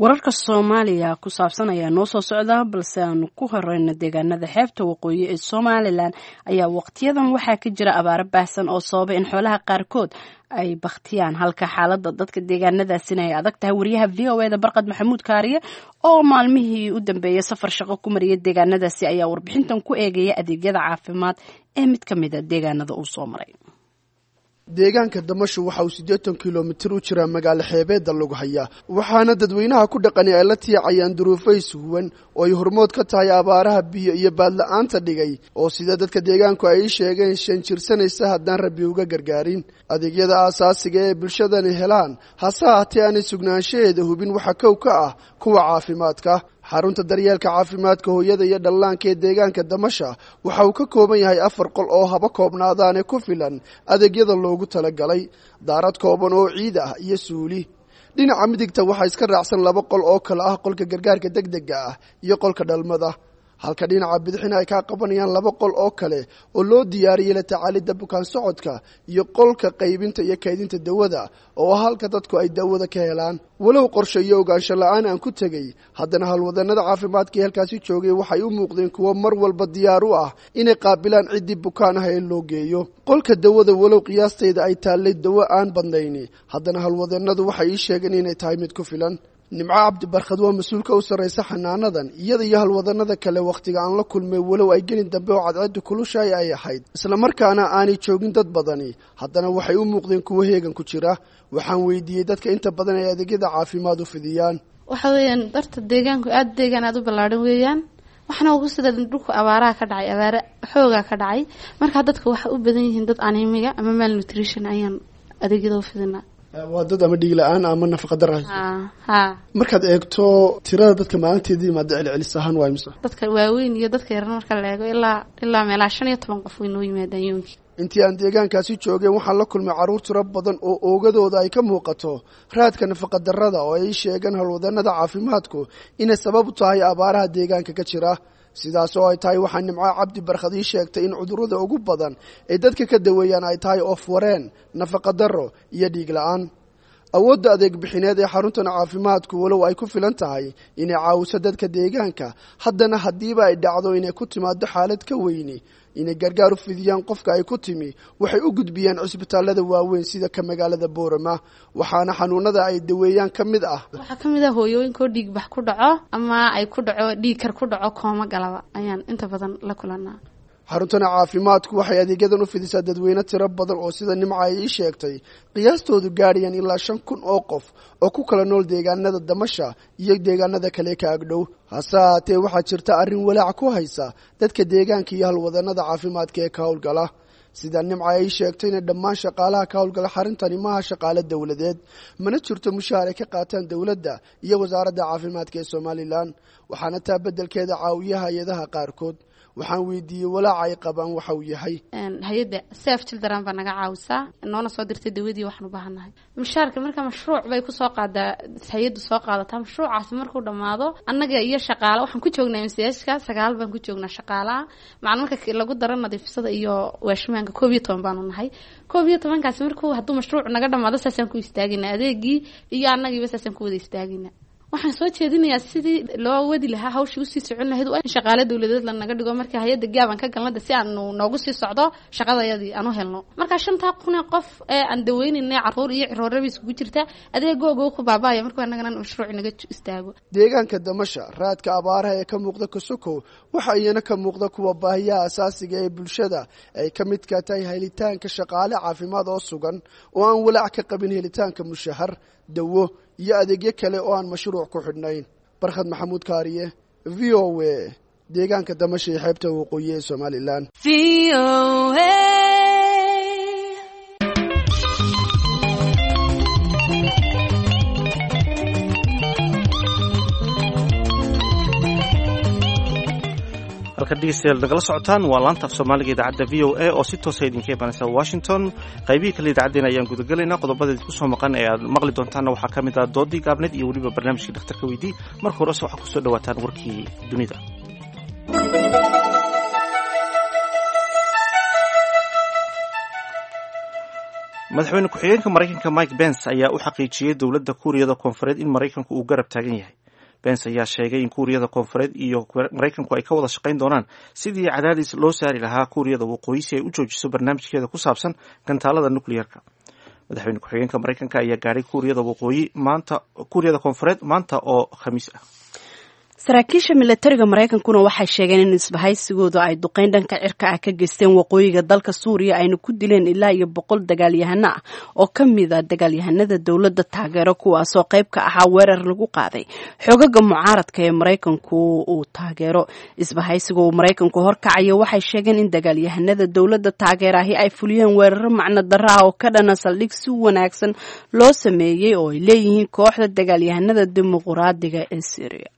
Wararka Soomaaliya ku saabsan ayaa noo soo socda, balse aanu ku horeyno deegaanada xeebta waqooyi ee Somalilan ayaa waqtiyadan waxaa ka jira abaaro baahsan oo sababay in xoolaha qaarkood ay bakhtiyaan, halka xaaladda dadka deegaanadaasina ay adag tahay. Wariyaha VOA da Barqad Maxamuud Kaariye oo maalmihii u dambeeyay safar shaqo ku mariyay deegaanadaasi ayaa warbixintan ku eegaya adeegyada caafimaad ee mid ka mid a deegaanada uu soo maray. Deegaanka Damasho waxa uu 80 kilomitir u jiraa magaalo xeebeedda lagu hayaa, waxaana dadweynaha ku dhaqani ay la tiicayaan duruufo ishuwan oo ay hormood ka tahay abaaraha biyo iyo baadla-aanta dhigay, oo sida dadka deegaanku ay ii sheegeen shan jirsanaysa haddaan Rabbi uga gargaarin. Adeegyada aasaasiga ee bulshadani helaan, hase haatee aanay sugnaanshaheeda hubin, waxa kow ka ah kuwa caafimaadka. Xarunta daryeelka caafimaadka hooyada iyo dhallaanka ee deegaanka Damasha waxa uu ka kooban yahay afar qol oo haba koobnaadaane ku filan adeegyada loogu talagalay, daarad kooban oo ciid ah iyo suuli. Dhinaca midigta waxaa iska raacsan laba qol oo kale ah qolka gargaarka degdega ah iyo qolka dhalmada, halka dhinaca bidixina ay kaa qabanayaan laba qol oo kale oo loo diyaariyey la tacaalidda bukaan socodka iyo qolka qaybinta iyo kaydinta dawada, oo ah halka dadku ay dawada ka helaan. Walow qorshe iyo ogaansho la-aan aan ku tegey, haddana howlwadannada caafimaadka ee halkaasi joogay waxay u muuqdeen kuwo mar walba diyaar u ah inay qaabilaan ciddii bukaan ah ee loo geeyo qolka dawada. Walow qiyaastayda ay taallay dawo aan badnayni, haddana howlwadannadu waxay ii sheegeen inay tahay mid ku filan. Nimco Cabdibarkhad waa mas-uulka u sarraysa xanaanadan. Iyada iyo halwadannada kale wakhtiga aan la kulmay, walow ay gelin dambe oo cadceeddu kulushaay ay ahayd, islamarkaana aanay joogin dad badani, haddana waxay u muuqdeen kuwo heegan ku jira. Waxaan weydiiyey dadka inta badan ay adeegyada caafimaad u fidiyaan. Waxa weeyaan darta deegaanku aada deegaan aada u ballaadhan weeyaan, waxna ugu sida dhulku abaaraha ka dhacay, abaare xoogaa ka dhacay. Markaa dadka waxay u badan yihiin dad anemiga ama malnutrition ayaan adeegyada u fidinaa. Waa dad ama dhiig la-aan ama nafaqa dara. Ha. Markaad eegto tirada dadka maalinteedii yimaada celcelis ahaan waa imisa? Dadka waaweyn iyo dadka yaran marka la eego, ilaa meelaha 15 qof way noo yimaadaan yoonkii. Intii aan deegaankaasi joogeen waxaan la kulmay carruur tiro badan oo oogadooda ay ka muuqato raadka nafaqa darrada, oo ay sheegeen howlwadannada caafimaadku inay sabab u tahay abaaraha deegaanka ka jira. Sidaas oo ay tahay, waxaa Nimco Cabdi Barkhad ii sheegtay in cudurrada ugu badan ee dadka ka daweeyaan ay tahay oof wareen, nafaqa darro iyo dhiig la-aan. Awoodda adeeg bixineed ee xaruntan caafimaadku, walow ay ku filan tahay inay caawiso dadka deegaanka, haddana haddiiba ay dhacdo inay ku timaado xaalad ka weyni, inay gargaar u fidiyaan qofka ay ku timi, waxay u gudbiyaan cusbitaallada waaweyn sida ka magaalada Boorama. Waxaana xanuunada ay daweeyaan ka mid ah Waxaa ka mid ah hooyooyinkoo dhiig bax ku dhaco ama ay ku dhaco dhiig kar ku dhaco, kooma galaba ayaan inta badan la kulanaa. Xaruntana caafimaadku waxay adeegyadan u fidisaa dadweyne tiro badan oo sida Nimca ay ii sheegtay qiyaastoodu gaadhayaan ilaa 5000 oo qof oo ku kala nool deegaanada Damasha iyo deegaanada kale ka agdhow. Hase haatee waxaa jirta arrin walaac ku haysa dadka deegaanka iyo halwadannada caafimaadka ee ka howlgala. Sida Nimca ay sheegtayna, dhammaan shaqaalaha ka howlgala xarintani maaha shaqaale dowladeed, mana jirto mushaar ay ka qaataan dowladda iyo wasaaradda caafimaadka ee Somalilan, waxaana taa beddelkeeda caawiya hay-adaha qaarkood. Waxaan weydiiyey walaaca ay qabaan waxa uu yahay. Hay-adda Save Children baa naga caawisaa, noona soo dirtay dawadii waxaan u baahannahay. Mushaarka marka mashruuc bay kusoo qaadaa hay-addu, soo qaadataa. Mashruucaasi markuu dhammaado, annaga iyo shaqaale waxaan ku joognaa MCHka sagaal baan ku joognaa shaqaalaha macna. Marka lagu daro nadiifisada iyo waashmaanka, 11 baanu nahay. 11-kaasi markuu hadduu mashruuc naga dhamaado, saasaan ku istaagina adeegii iyo annagiiba saasaan ku wada istaagina. Waxaan soo jeedinayaa sidii loo wadi lahaa hawshii usii socon lahayd waa in shaqaale dowladeed lanaga dhigo. Marka hay-adda gaabaan ka galnada si aanu noogu sii socdo shaqadayadii aan u helno. Marka shantaa kun ee qof ee aan daweynayna, carruur iyo cirooraba isugu jirta, adeegooga ku baaba'aya markuu annagana mashruuc naga istaago. Deegaanka Damasha raadka abaaraha ee ka muuqda Kosokow waxa iyana ka muuqda kuwa baahiyaha asaasiga ee bulshada ay ka midka tahay helitaanka shaqaale caafimaad oo sugan oo aan walaac ka qabin helitaanka mushahar, dawo iyo adeegyo kale oo aan mashruuc ku xidhnayn. Barkhad Maxamuud Kaariye, VOA, deegaanka Damasha iyo xeebta waqooyi ee Somalilan. Halka dhegeystayaal nagala socotaan waa laanta af Soomaaliga idaacadda VOA oo si toosa idinka imanaysa Washington. Qaybihii kale idaacaddeen ayaan gudagelaynaa. Qodobada idinku soo maqan ee aad maqli doontaanna waxaa ka mid ah doodii gaabneed iyo weliba barnaamijkii dhakhtarka weydii. Marka horese waxaa kusoo dhawaataan warkii dunida. Madaxweyne ku-xigeenka Maraykanka Mike Pence ayaa u xaqiijiyey dowladda Kuuriyada Koonfureed in Maraykanku uu garab taagan yahay. Pence ayaa sheegay in Kuuriyada Koonfureed iyo Maraykanku ay ka wada shaqayn doonaan sidii cadaadis loo saari lahaa Kuuriyada Waqooyi si ay u joojiso barnaamijkeeda ku saabsan gantaalada nuclearka. Madaxweyne ku-xigeenka Maraykanka ayaa gaadhay Kuuriyada Waqooyi maanta, Kuuriyada Koonfureed maanta oo Khamiis ah. Saraakiisha milatariga Maraykankuna waxay sheegeen in isbahaysigooda ay duqeyn dhanka cirka ah ka geysteen waqooyiga dalka Suuriya, ayna ku dileen ilaa iyo 100 dagaalyahano ah oo ka mid a dagaalyahanada dowladda taageero, kuwaasoo qayb ka ahaa weerar lagu qaaday xoogaga mucaaradka ee Maraykanku uu taageero. Isbahaysiga uu Maraykanku horkacayo waxay sheegeen in dagaalyahanada dowladda taageeraahi ay fuliyeen weeraro macno darro ah oo ka dhana saldhig si wanaagsan loo sameeyey oo ay leeyihiin kooxda dagaalyahanada dimuquraadiga ee Syria.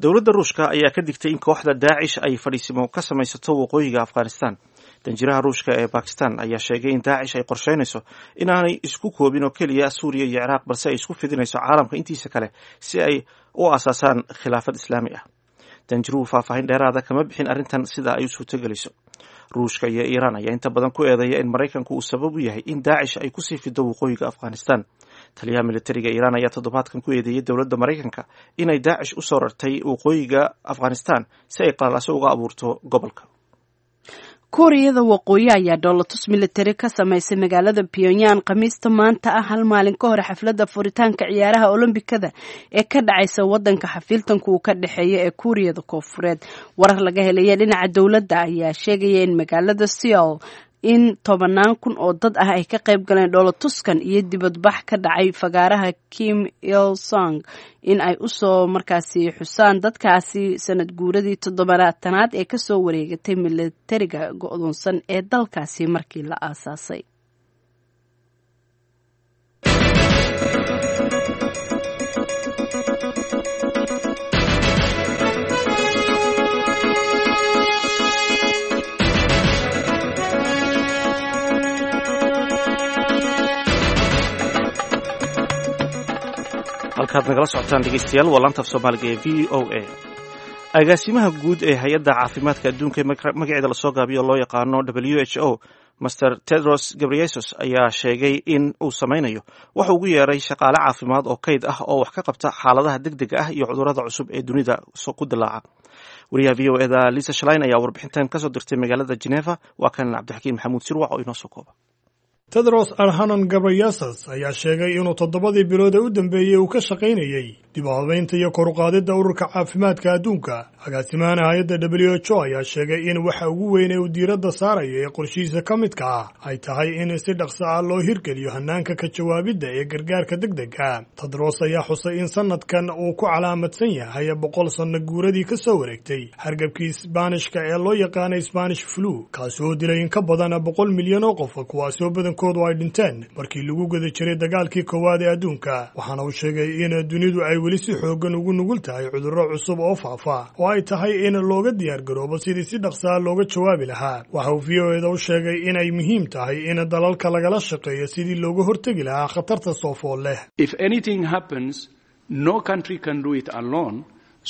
Dowladda Ruushka ayaa ka digtay in kooxda Daacish ay fadhiisimo ka samaysato waqooyiga Afghanistan. Danjiraha Ruushka ee Bakistan ayaa sheegay in Daacish ay qorsheynayso inaanay isku koobin oo keliya Suuriya iyo Ciraaq, balse ay isku fidinayso caalamka intiisa kale si ay u aasaasaan khilaafad islaami ah. Danjiruhu faahfaahin dheeraada kama bixin arrintan sida ay u suurtogelayso. Ruushka iyo Iiraan ayaa inta badan ku eedeeya in Maraykanku uu sabab u yahay in Daacish ay kusii fido waqooyiga Afghanistan. Taliyaha militariga Iiraan ayaa toddobaadkan ku eedeeyey dowladda Maraykanka inay Daacish u soo rartay waqooyiga Afghanistan si ay qalalaso uga abuurto gobolka. Kuuriyada Waqooyi ayaa dhoolatus militari ka samaysay magaalada Pyongyang Khamiista maanta ah, hal maalin ka hor xafladda furitaanka ciyaaraha Olombikada ee ka dhacaysa wadanka xafiiltanku uu ka dhexeeya ee Kuuriyada Koonfureed. Warar laga helaya dhinaca dowladda ayaa sheegaya in magaalada Seoul in 10,000 oo dad ah ay ka qayb galeen dhoolatuskan iyo dibadbax ka dhacay fagaaraha Kim Il Sung in ay usoo markaasi xusaan dadkaasi sanad guuradii 70aad ee kasoo wareegatay milatariga go-doonsan ee dalkaasi markii la aasaasay. Halkaad nagala socotaan, dhegeystayaal, waa laanta af Soomaaliga ee VOA. Agaasimaha guud ee hay-adda caafimaadka adduunka ee magaceeda lasoo gaabiyo loo yaqaano WHO, Master Tedros Ghebreyesus, ayaa sheegay in uu sameynayo waxa ugu yeeray shaqaale caafimaad oo kayd ah oo wax ka qabta xaaladaha degdega ah iyo cudurrada cusub ee dunida ku dilaaca. Wariyaha VOA da Lisa Schlein ayaa warbixintan kasoo dirtay magaalada Geneva. Waa kan Cabdixakiin Maxamuud Sirwac oo inoo soo kooba. Tedros Adhanom Ghebreyesus ayaa sheegay inuu 7dii bilood ee u dambeeyey uu ka shaqaynayey dib u habaynta iyo kor u qaadidda ururka caafimaadka adduunka. Agaasimahana hay-adda WHO ayaa sheegay in waxa ugu weyn ee uu diiradda saarayo ee qorshihiisa ka midka ah ay tahay in si dhaqso ah loo hirgeliyo hannaanka ka jawaabidda ee gargaarka degdega. Tedros ayaa xusay in sanadkan uu ku calaamadsan yahay 100 sanno guuradii ka soo wareegtay hargabkii Isbaanishka ee loo yaqaanay Spanish flu, kaasi oo dilay in ka badan 100 milyan oo qof, kuwaasi oo badankoodu ay dhinteen markii lagu guda jiray dagaalkii koowaad ee adduunka. Waxaana uu sheegay in dunidu ay weli si xooggan ugu nugul tahay cudurro cusub oo faafa oo ay tahay in looga diyaar garoobo sidii si dhaqsaa looga jawaabi lahaa. Waxa uu VOA da u sheegay inay muhiim tahay in dalalka lagala shaqeeyo sidii looga hortegi lahaa khatarta soo fool leh. If anything happens, no country can do it alone.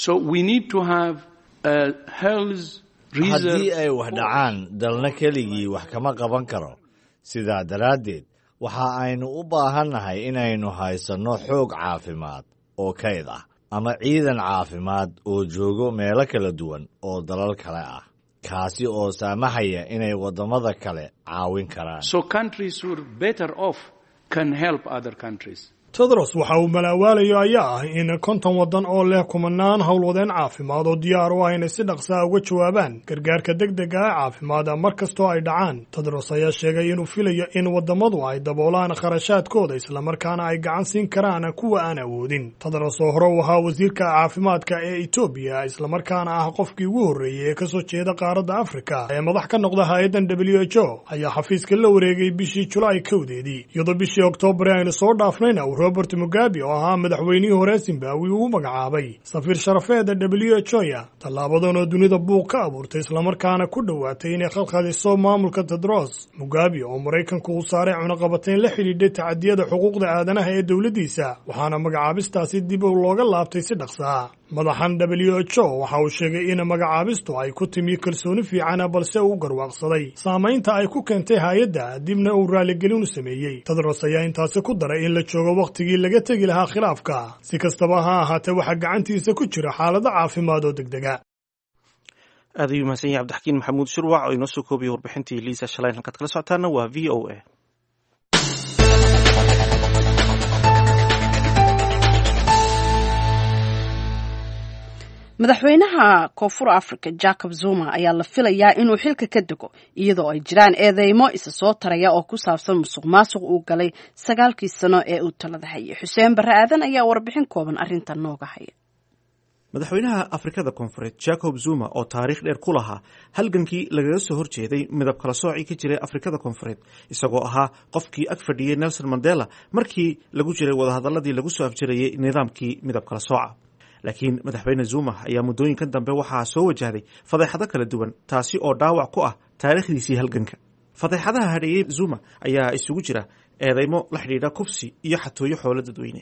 So we need to have a health Haddii ay wax dhacaan, dalna keligii wax kama qaban karo. Sidaa daraaddeed waxa aynu u baahannahay inaynu haysanno xoog caafimaad oo kayd ah ama ciidan caafimaad oo joogo meelo kala duwan oo dalal kale ah, kaasi oo saamaxaya inay waddamada kale caawin karaan. So countries who are better off can help other countries. Tedros waxa uu malaawaalayo ayaa ah in 50 waddan oo leh kumanaan howlwadeen caafimaad oo diyaar u ah inay si dhaqsaa uga jawaabaan gargaarka degdega ah caafimaad mar kastoo ay dhacaan. Tedros ayaa sheegay inuu filayo in waddamadu ay daboolaan kharashaadkooda, islamarkaana ay gacan siin karaan kuwa aan awoodin. Tedros, oo hore u ahaa wasiirka caafimaadka ee Etoobiya, islamarkaana ah qofkii ugu horreeyey ee kasoo jeeda qaaradda Afrika ee madax ka noqda hay-addan WHO, ayaa xafiiska la wareegay bishii Julaay 1deedii, iyadoo bishii Oktoobar aynu soo dhaafnayna Robert Mugabe oo ahaa madaxweynihii hore Zimbabwe uu magacaabay safiir sharafeeda WHO ya, tallaabadan oo dunida buuq ka abuurtay islamarkaana ku dhowaatay inay khalkhaliso maamulka Tedros. Mugabe oo Maraykanku uu saaray cunaqabatayn la xidhiidhay tacadiyada xuquuqda aadanaha ee dowladdiisa, waxaana magacaabistaasi dib looga laabtay si dhaqsaa. Madaxan WHO waxa uu sheegay in magacaabistu ay ku timi kalsooni fiicana, balse uu garwaaqsaday saamaynta ay ku keentay hay-adda, dibna uu raaligelin u sameeyey. Tedros ayaa intaasi ku daray in la joogo wakhtigii laga tegi lahaa khilaafka. Si kastaba ha ahaatee, waxaa gacantiisa ku jira xaalado caafimaad oo degdega. Aad ayuu mahadsan yahay Cabdixakiin Maxamuud Shirwac oo inoo soo koobiyey warbixintii Liisa Shalayn. Halkaad kala socotaana waa VOA. Madaxweynaha Koonfur Africa Jacob Zuma ayaa la filayaa inuu xilka ka dego, iyadoo ay jiraan eedeymo isa soo taraya oo ku saabsan musuq maasuq uu galay 9-kii sano ee uu talada hayay. Xuseen Barre Aadan ayaa warbixin kooban arrintan nooga haya. Madaxweynaha Afrikada Koonfureed Jacob Zuma, oo taariikh dheer ku lahaa halgankii lagaga soo horjeeday midab kala soocii ka jiray Afrikada Koonfureed, isagoo ahaa qofkii ag fadhiyey Nelson Mandela markii lagu jiray wadahadaladii lagu soo afjarayey nidaamkii midab kala sooca, laakiin madaxweyne Zuma ayaa muddooyinkan dambe waxaa soo wajahday fadeexado kala duwan, taasi oo dhaawac ku ah taariikhdiisii halganka. Fadeexadaha hadheeyey Zuma ayaa isugu jira eedeymo la xidhiidha kufsi iyo xatooyo xoolo dadweyne.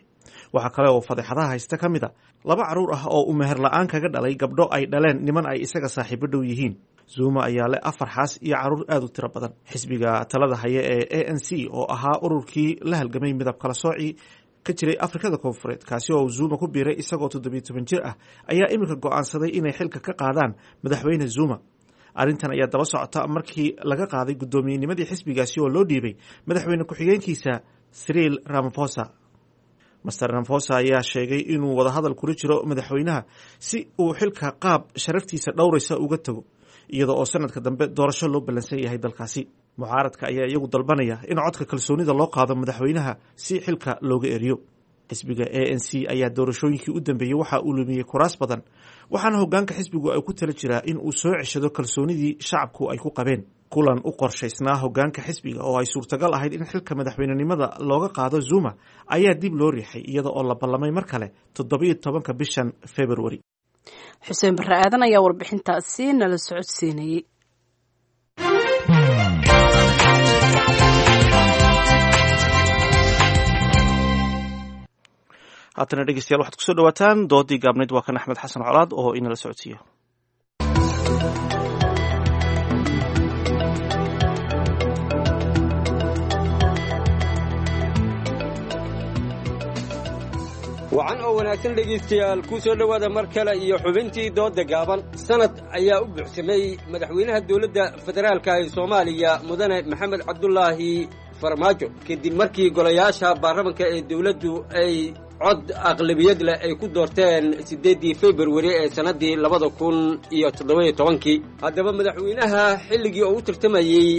Waxaa kale oo fadeexadaha haysta ka mid a laba carruur ah oo uu meher la-aan kaga dhalay gabdho ay dhaleen niman ay isaga saaxiibo dhow yihiin. Zuma ayaa leh afar xaas iyo carruur aad u tiro badan. Xisbiga talada haya ee ANC, oo ahaa ururkii la halgamay midab kala soocii ka jiray Afrikada Koonfureed, kaasi oo Zuma ku biiray isagoo 17 jir ah, ayaa iminka go'aansaday inay xilka ka qaadaan madaxweyne Zuma. Arrintan ayaa daba socota markii laga qaaday guddoomiyennimadii xisbigaasi oo loo dhiibay madaxweyne ku-xigeenkiisa Cyril Ramaphosa. Master Ramaphosa ayaa sheegay inuu wadahadal kula jiro madaxweynaha si uu xilka qaab sharaftiisa dhowraysa uga tago, iyada oo sanadka dambe doorasho loo ballansan yahay dalkaasi. Mucaaradka ayaa iyagu dalbanaya in codka kalsoonida loo qaado madaxweynaha si xilka looga eriyo. Xisbiga ANC ayaa doorashooyinkii u dambeeyey waxa uu lumiyey kuraas badan, waxaana hogaanka xisbigu ay ku tala jiraa in uu soo ceshado kalsoonidii shacabku ay ku qabeen. Kulan u qorshaysnaa hogaanka xisbiga oo ay suurtagal ahayd in xilka madaxweynenimada looga qaado Zuma ayaa dib loo riixay, iyada oo la ballamay mar kale 17-ka bishan Februari. Xuseen Barre Aadan ayaa warbixintaasi nala socodsiinayey. Haatana dhegeystayaal, waxaad kusoo dhawaataan doodii gaabnayd. Waa kan Axmed Xasan Colaad oo inala socodsiiya. Wacan oo wanaagsan dhegaystayaal, ku soo dhowaada mar kale iyo xubintii doodda gaaban. Sanad ayaa u buuxsamay madaxweynaha dowladda federaalka ee Soomaaliya, mudane Maxamed Cabdulaahi Farmaajo, kadib markii golayaasha baarlamanka ee dowladdu ay cod aqlabiyad leh ay ku doorteen 8-dii Februari ee sannaddii 2017-kii. Haddaba madaxweynaha xilligii oo u tartamayey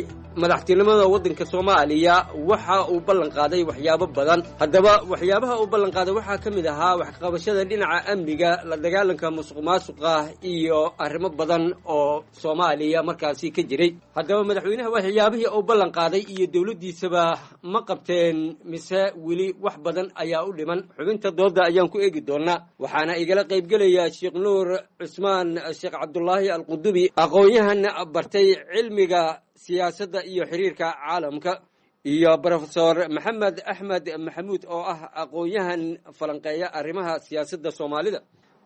madaxtinimada waddanka Soomaaliya waxa uu ballan qaaday waxyaabo badan. Haddaba waxyaabaha uu ballan qaaday waxaa ka mid ahaa waxqabashada dhinaca amniga, la dagaalanka musuq maasuqa iyo arrimo badan oo Soomaaliya markaasi ka jiray. Haddaba madaxweynaha waxyaabihii uu ballan qaaday iyo dowladdiisaba ma qabteen mise weli wax badan ayaa u dhiman? Xubinta doodda ayaan ku eegi doonaa, waxaana igala qaybgelaya Sheekh Nuur Cusmaan Sheekh Cabdulaahi Alqudubi, aqoon-yahan bartay cilmiga siyaasadda iyo xiriirka caalamka, iyo Brofesor Maxamed Axmed Maxamuud oo ah aqoon-yahan falanqeeya arrimaha siyaasadda Soomaalida.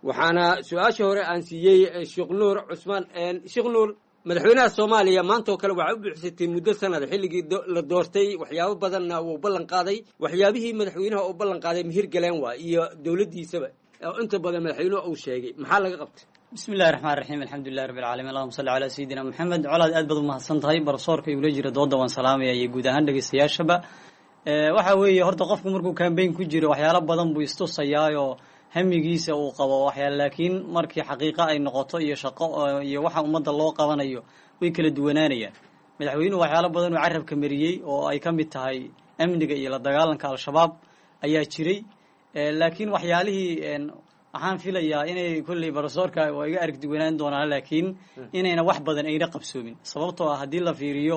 Waxaana su-aasha hore aan siiyey Sheekh Nuur Cusmaan. Sheekh Nuur, madaxweynaha Soomaaliya maanta oo kale waxaa u buuxsatay muddo sanad xilligii la doortay, waxyaabo badanna wuu ballan qaaday. Waxyaabihii madaxweynaha uu ballan qaaday mihir galeen waa iyo dowladdiisaba oo inta badan madaxweynuhu uu sheegay, maxaa laga qabtay? Bismi illahi raxmaan raxiim, alxamdulilahi rabbi alcaalamiin, allahuma salli calaa sayidina Maxamed. Colaad, aad baad umahadsan tahay. Barsoorka igula jira dooda waan salaamaya iyo guud ahaan dhegeystayaashaba. Waxa weeye, horta qofku markuu kambayn ku jiro waxyaalo badan buu istusayaayoo hamigiisa uu qabo waxyaal, laakiin markii xaqiiqo ay noqoto iyo shaqo iyo waxa ummadda loo qabanayo way kala duwanaanayaan. Madaxweynuhu waxyaalo badan uu carabka mariyey oo ay ka mid tahay amniga iyo la dagaalanka Al-Shabaab ayaa jiray, laakiin waxyaalihii waxaan filayaa inay kolley barosoorka waa iga arag duwanaan doonaan, laakiin inayna wax badan ayna qabsoomin, sababtoo ah haddii la fiiriyo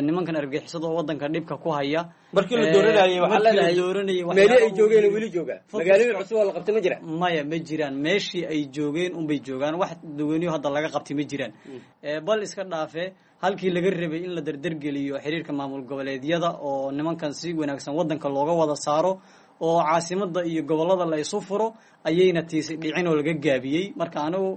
nimankan argagixisada oo waddanka dhibka ku haya markii la dooranayay waxaa markii la leedahay dooranayay meelihii ay waxyaabo joogeen weli jooga, magaalooyin cusub oo la qabtay ma jiraan? Maya, ma jiraan. Meeshii ay joogeen unbay joogaan, wax duwaniyo hadda laga qabtay ma jiraan. Bal iska dhaafe halkii laga rabay in la dardargeliyo xiriirka maamul goboleedyada oo nimankan si wanaagsan waddanka looga wada saaro Oo caasimadda iyo gobollada la isu furo ayayna tiisi dhicin oo laga gaabiyey. Marka anigu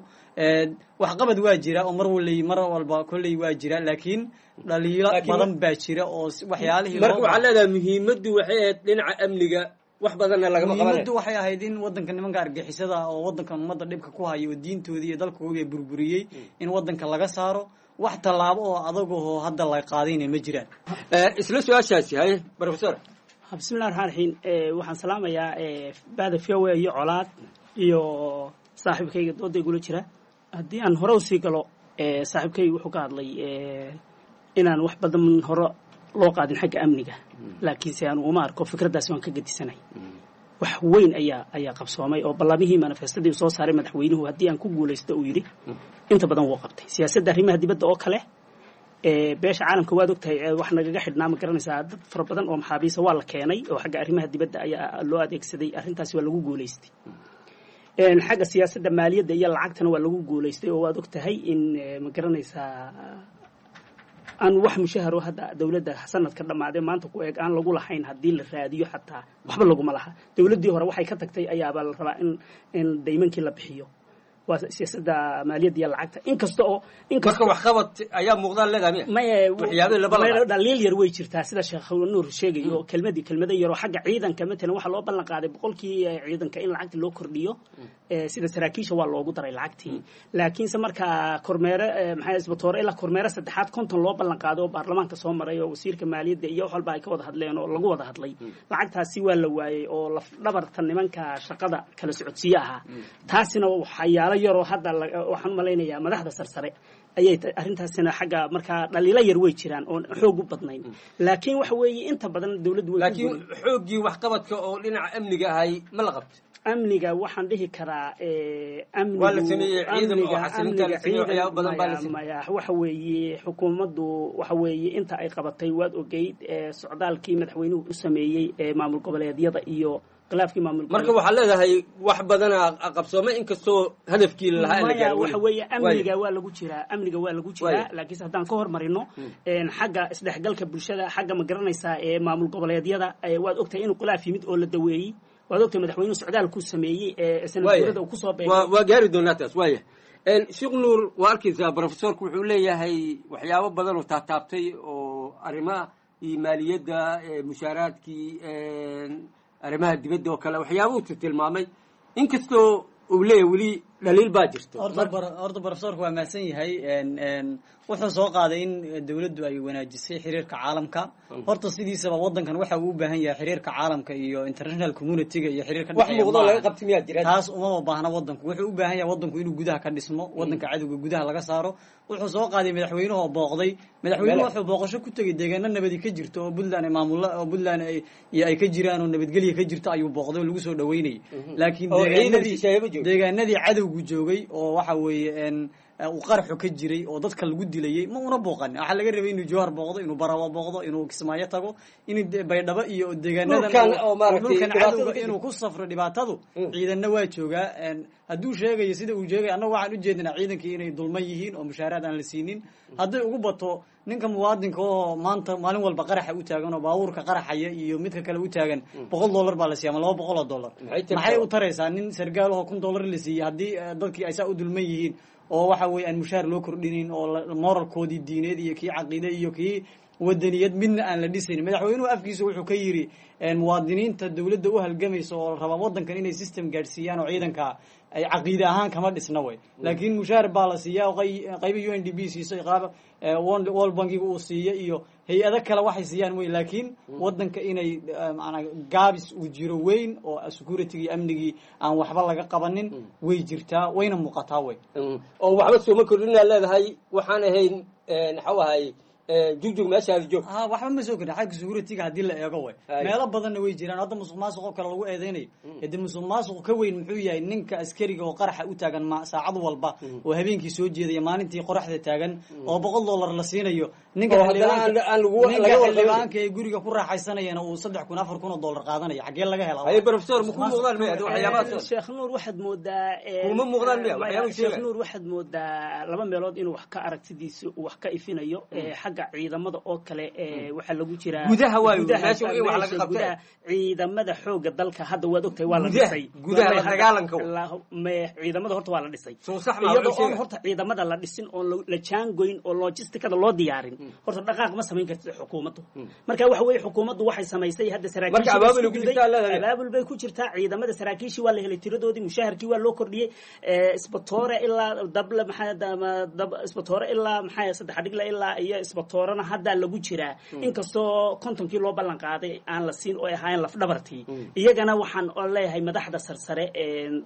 waxqabad waa jira oo mar waley mar walba kolley waa jira, laakiin dhaliilo badan baa jira oo waxyaalihii. Marka waxaa leedahay muhiimaddu waxay ahayd dhinaca amniga, wax badanna lagama qabanay. Muhiimaddu waxay ahayd in waddanka nimanka argixisada oo waddankan ummadda dhibka ku haya oo diintoodii iyo dalkoodii burburiyey in waddanka laga saaro. Wax tallaabo oo adagahoo hadda la qaadayna ma jiraan. Isla su-aashaasi, haye professor. Bismillahi raxmaan raxiim. Waxaan salaamayaa bada v o a iyo Colaad iyo saaxiibkayga dooda igula jira. Haddii aan hore usii galo, saaxiibkayga wuxuu ka hadlay inaan wax badan hore loo qaadin xagga amniga, laakiinse aanu uma arko fikraddaasi, waan ka gedisanay. Wax weyn ayaa qabsoomay oo ballamihii manifestadii uu soo saaray madaxweynuhu, haddii aan ku guulaysto uu yidhi, inta badan wuu qabtay. Siyaasadda arrimaha dibadda oo kale, beesha caalamka waad ogtahay wax nagaga xidhnaa, ma garanaysaa, dad fara badan oo maxaabiisa waa la keenay oo xagga arrimaha dibadda ayaa loo adeegsaday. Arrintaasi waa lagu guulaystay. Xagga siyaasadda maaliyadda iyo lacagtana waa lagu guulaystay oo waad ogtahay in ma garanaysaa aan wax mushaharo hadda dowladda sanadka dhammaadee maanta ku eeg aan lagu lahayn. Haddii la raadiyo xataa waxba laguma laha. Dowladdii hore waxay ka tagtay ayaabaa la rabaa in daymankii la bixiyo. Waa siyaasadda maaliyadda iyo lacagta, inkasta oo Marka waxqabad ayaa muuqdaan leedahay miya? Maya. Waxyaabihii la ballan qaaday. Dhaliil yar way jirtaa, sida Sheekh Nuur sheegayo, kelmadii kelmado yar oo xagga ciidanka. Matalan waxaa loo ballan qaaday 100kii ciidanka in lacagta loo kordhiyo. Sida saraakiisha waa loogu daray lacagtii, laakiinse markaa kormeere maxay isbatoore ilaa kormeere saddexaad 50 loo ballan qaaday oo baarlamaanka soo maray oo wasiirka maaliyadda iyo wax walba ay ka wada hadleen oo lagu wada hadlay, lacagtaasi waa la waayey oo laf dhabarta nimanka shaqada kala socodsiye ahaa. Taasina waxyaalo yaroo hadda waxaan u malaynayaa madaxda sarsare ayay arrintaasina xagga. Markaa dhaliilo yar way jiraan oon xoog u badnayn, laakiin waxa weeye inta badan dowladdu way ku Laakiin xooggii waxqabadka oo dhinaca amniga ahay ma la qabto? Amniga waxaan dhihi karaa amnigu Waa la sameeyey ciidan oo xasilinta la sameeyey, waxyaabo badan baa la sameeyey. Maya, waxa weeye xukuumaddu waxa weeye inta ay qabatay waad ogeyd socdaalkii madaxweynuhu u sameeyey maamul goboleedyada iyo khilaafkii maamul Marka waxaa leedahay wax badanaa qabsoomay inkastoo hadafkii lahaa aan la Maya, gaarin waxa weli. weeye amniga waa lagu jiraa, amniga waa lagu jiraa, Waayo. laakiinse haddaan ka hormarino xagga isdhexgalka bulshada, xagga ma garanaysaa ee maamul goboleedyada, waad ogtahay inuu khilaaf yimid oo la daweeyey. Waad ogtahay madaxweynuhu socdaalkuu sameeyey ee sanad guurada uu kusoo beegay. Waa gaari doonaa taas. Waaya, Sheekh Nuur, waa arkaysaa professorku wuxuu leeyahay waxyaabo badan oo taataabtay oo arrimaha iyo maaliyadda, mushaaraadkii, arrimaha dibadda oo kale, waxyaabuu tilmaamay, inkastoo uu leeyahay weli dhaliil baa jirto. Horta professorku waa mahadsan yahay. Wuxuu soo qaaday in dowladdu ay wanaajisay xiriirka caalamka. Horta sidiisaba waddankan waxa uu u baahan yahay xiriirka caalamka iyo international community-ga iyo xiriirka Wax dhexeeya muuqdo maaha. laga qabtay miyaa jira? Taas umama baahna. Waddanku wuxuu u baahan yahay waddanku inuu gudaha ka dhismo, waddanka cadowga gudaha laga saaro. Wuxuu soo qaaday madaxweynuhu oo booqday. Madaxweynuhu wuxuu booqasho ku tegey deegaano nabadi ka jirto oo Puntland ay maamulo oo Puntland ay iyo ay ka jiraan oo nabadgelya ka jirto ayuu booqday oo lagu soo dhaweynayay, laakiin Oo ciidan shisheeye ma joogo. deegaanadii cadowgu joogay oo waxa weeye uu qaraxu ka jiray oo dadka lagu dilayay ma una booqan. Waxaa laga rabay inuu Jowhar booqdo, inuu Barawa booqdo, inuu Kismaayo tago, inuu Baydhabo iyo deegaanadan Dhulkan oo maaragtay dhulkan dhibaatada cadowga ka jirto. Inuu ku safro dhibaatadu ciidanna waa joogaa. Hadduu sheegayo sida uu sheegay, annagu waxaan ujeednaa ciidankii inay dulman yihiin oo mushaaraad aan la siinin. Hadday ugu bato ninka muwaadinka oo maanta maalin walba qaraxa u taagan oo baabuurka qaraxaya iyo midka kale u taagan, $100 baa la siiya ama $200. Maxay tartaa? Maxay u taraysaa nin sargaal oo $1000 la siiyey haddii dadkii ay saa u dulman yihiin oo waxa weeye aan mushaar loo kordhinin oo moralkoodii diineed iyo kii caqiide iyo kii wadaniyad midna aan la dhisayn? Madaxweynuhu afkiisa wuxuu ka yidhi muwaadiniinta dowladda u halgamaysa oo raba waddankan inay system gaadhsiiyaan oo ciidanka ay caqiide ahaan kama dhisna way, laakiin mushaar baa la siiyaa oo qayba UNDP siiso, qaab World Bankiga uu siiyo iyo hay-ado kale waxay siiyaan wey, laakiin waddanka inay maanaa gaabis uu jiro weyn oo security iyo amnigii aan waxba laga qabanin way jirtaa, wayna muuqataa wey. Oo waxba sooma kordhinaa leedahay, waxaan ahayn maxau ahay jugjug meeshaada joog. Ha, waxba ma soo kordhin xagga security-ga haddii la eego way. Meelo badanna way jiraan. Hadda musuq maasuq oo kale lagu eedeynayo, hade musuq maasuq ka weyn muxuu yahay? Ninka askariga oo qaraxa u taagan saacad walba oo habeenkii soo jeedaya, maalintii qoraxda taagan oo $100 la siinayo, ninka Oo haddana aan ninka laga warqabin. xildhibaanka ee guriga ku raaxaysanayana uu 3000 $4000 qaadanaya, xaggee laga helaa? Haye professor, ma ku muuqdaan miya waxyaabahaas? Sheekh Nuur, waxaad moodaa Kuma muuqdaan miya waxyaabaha Sheekh sheegaya? Nuur, waxaad moodaa laba meelood inuu wax ka aragtidiisa uu wax ka ifinayo. Xagga Xagga ciidamada oo kale waxaa lagu jiraa Gudaha waayo, meesha in wax laga qabtay. Gudaha ciidamada xoogga dalka hadda waad ogtahay waa la Gudaha, dhisay. gudaha la dagaalanka. Ciidamada horta waa la dhisay. Sax ma Iyadoo wuxuu oon sheegay. horta ciidamada la dhisin oon la jaangoyn oo logisticada loo diyaarin, horta dhaqaaq ma samayn kartid xukuumaddu. Marka waxa weeye xukuumaddu waxay samaysay hadda Marka saraakiishii abaabul isku ku duday. jirtaa leedahay. Abaabul bay ku jirtaa. Ciidamada saraakiishii waa la helay tiradoodii, mushaharkii waa loo kordhiyey. Isbatoore ilaa dable maxaa isbatoore ilaa maxaa saddex dhigle ilaa iyo isbatoorena hadda lagu jiraa, inkastoo 50kii loo ballan qaaday aan la siin oo ay ahaayeen lafdhabartii. Iyagana waxaan oo leeyahay madaxda sarsare,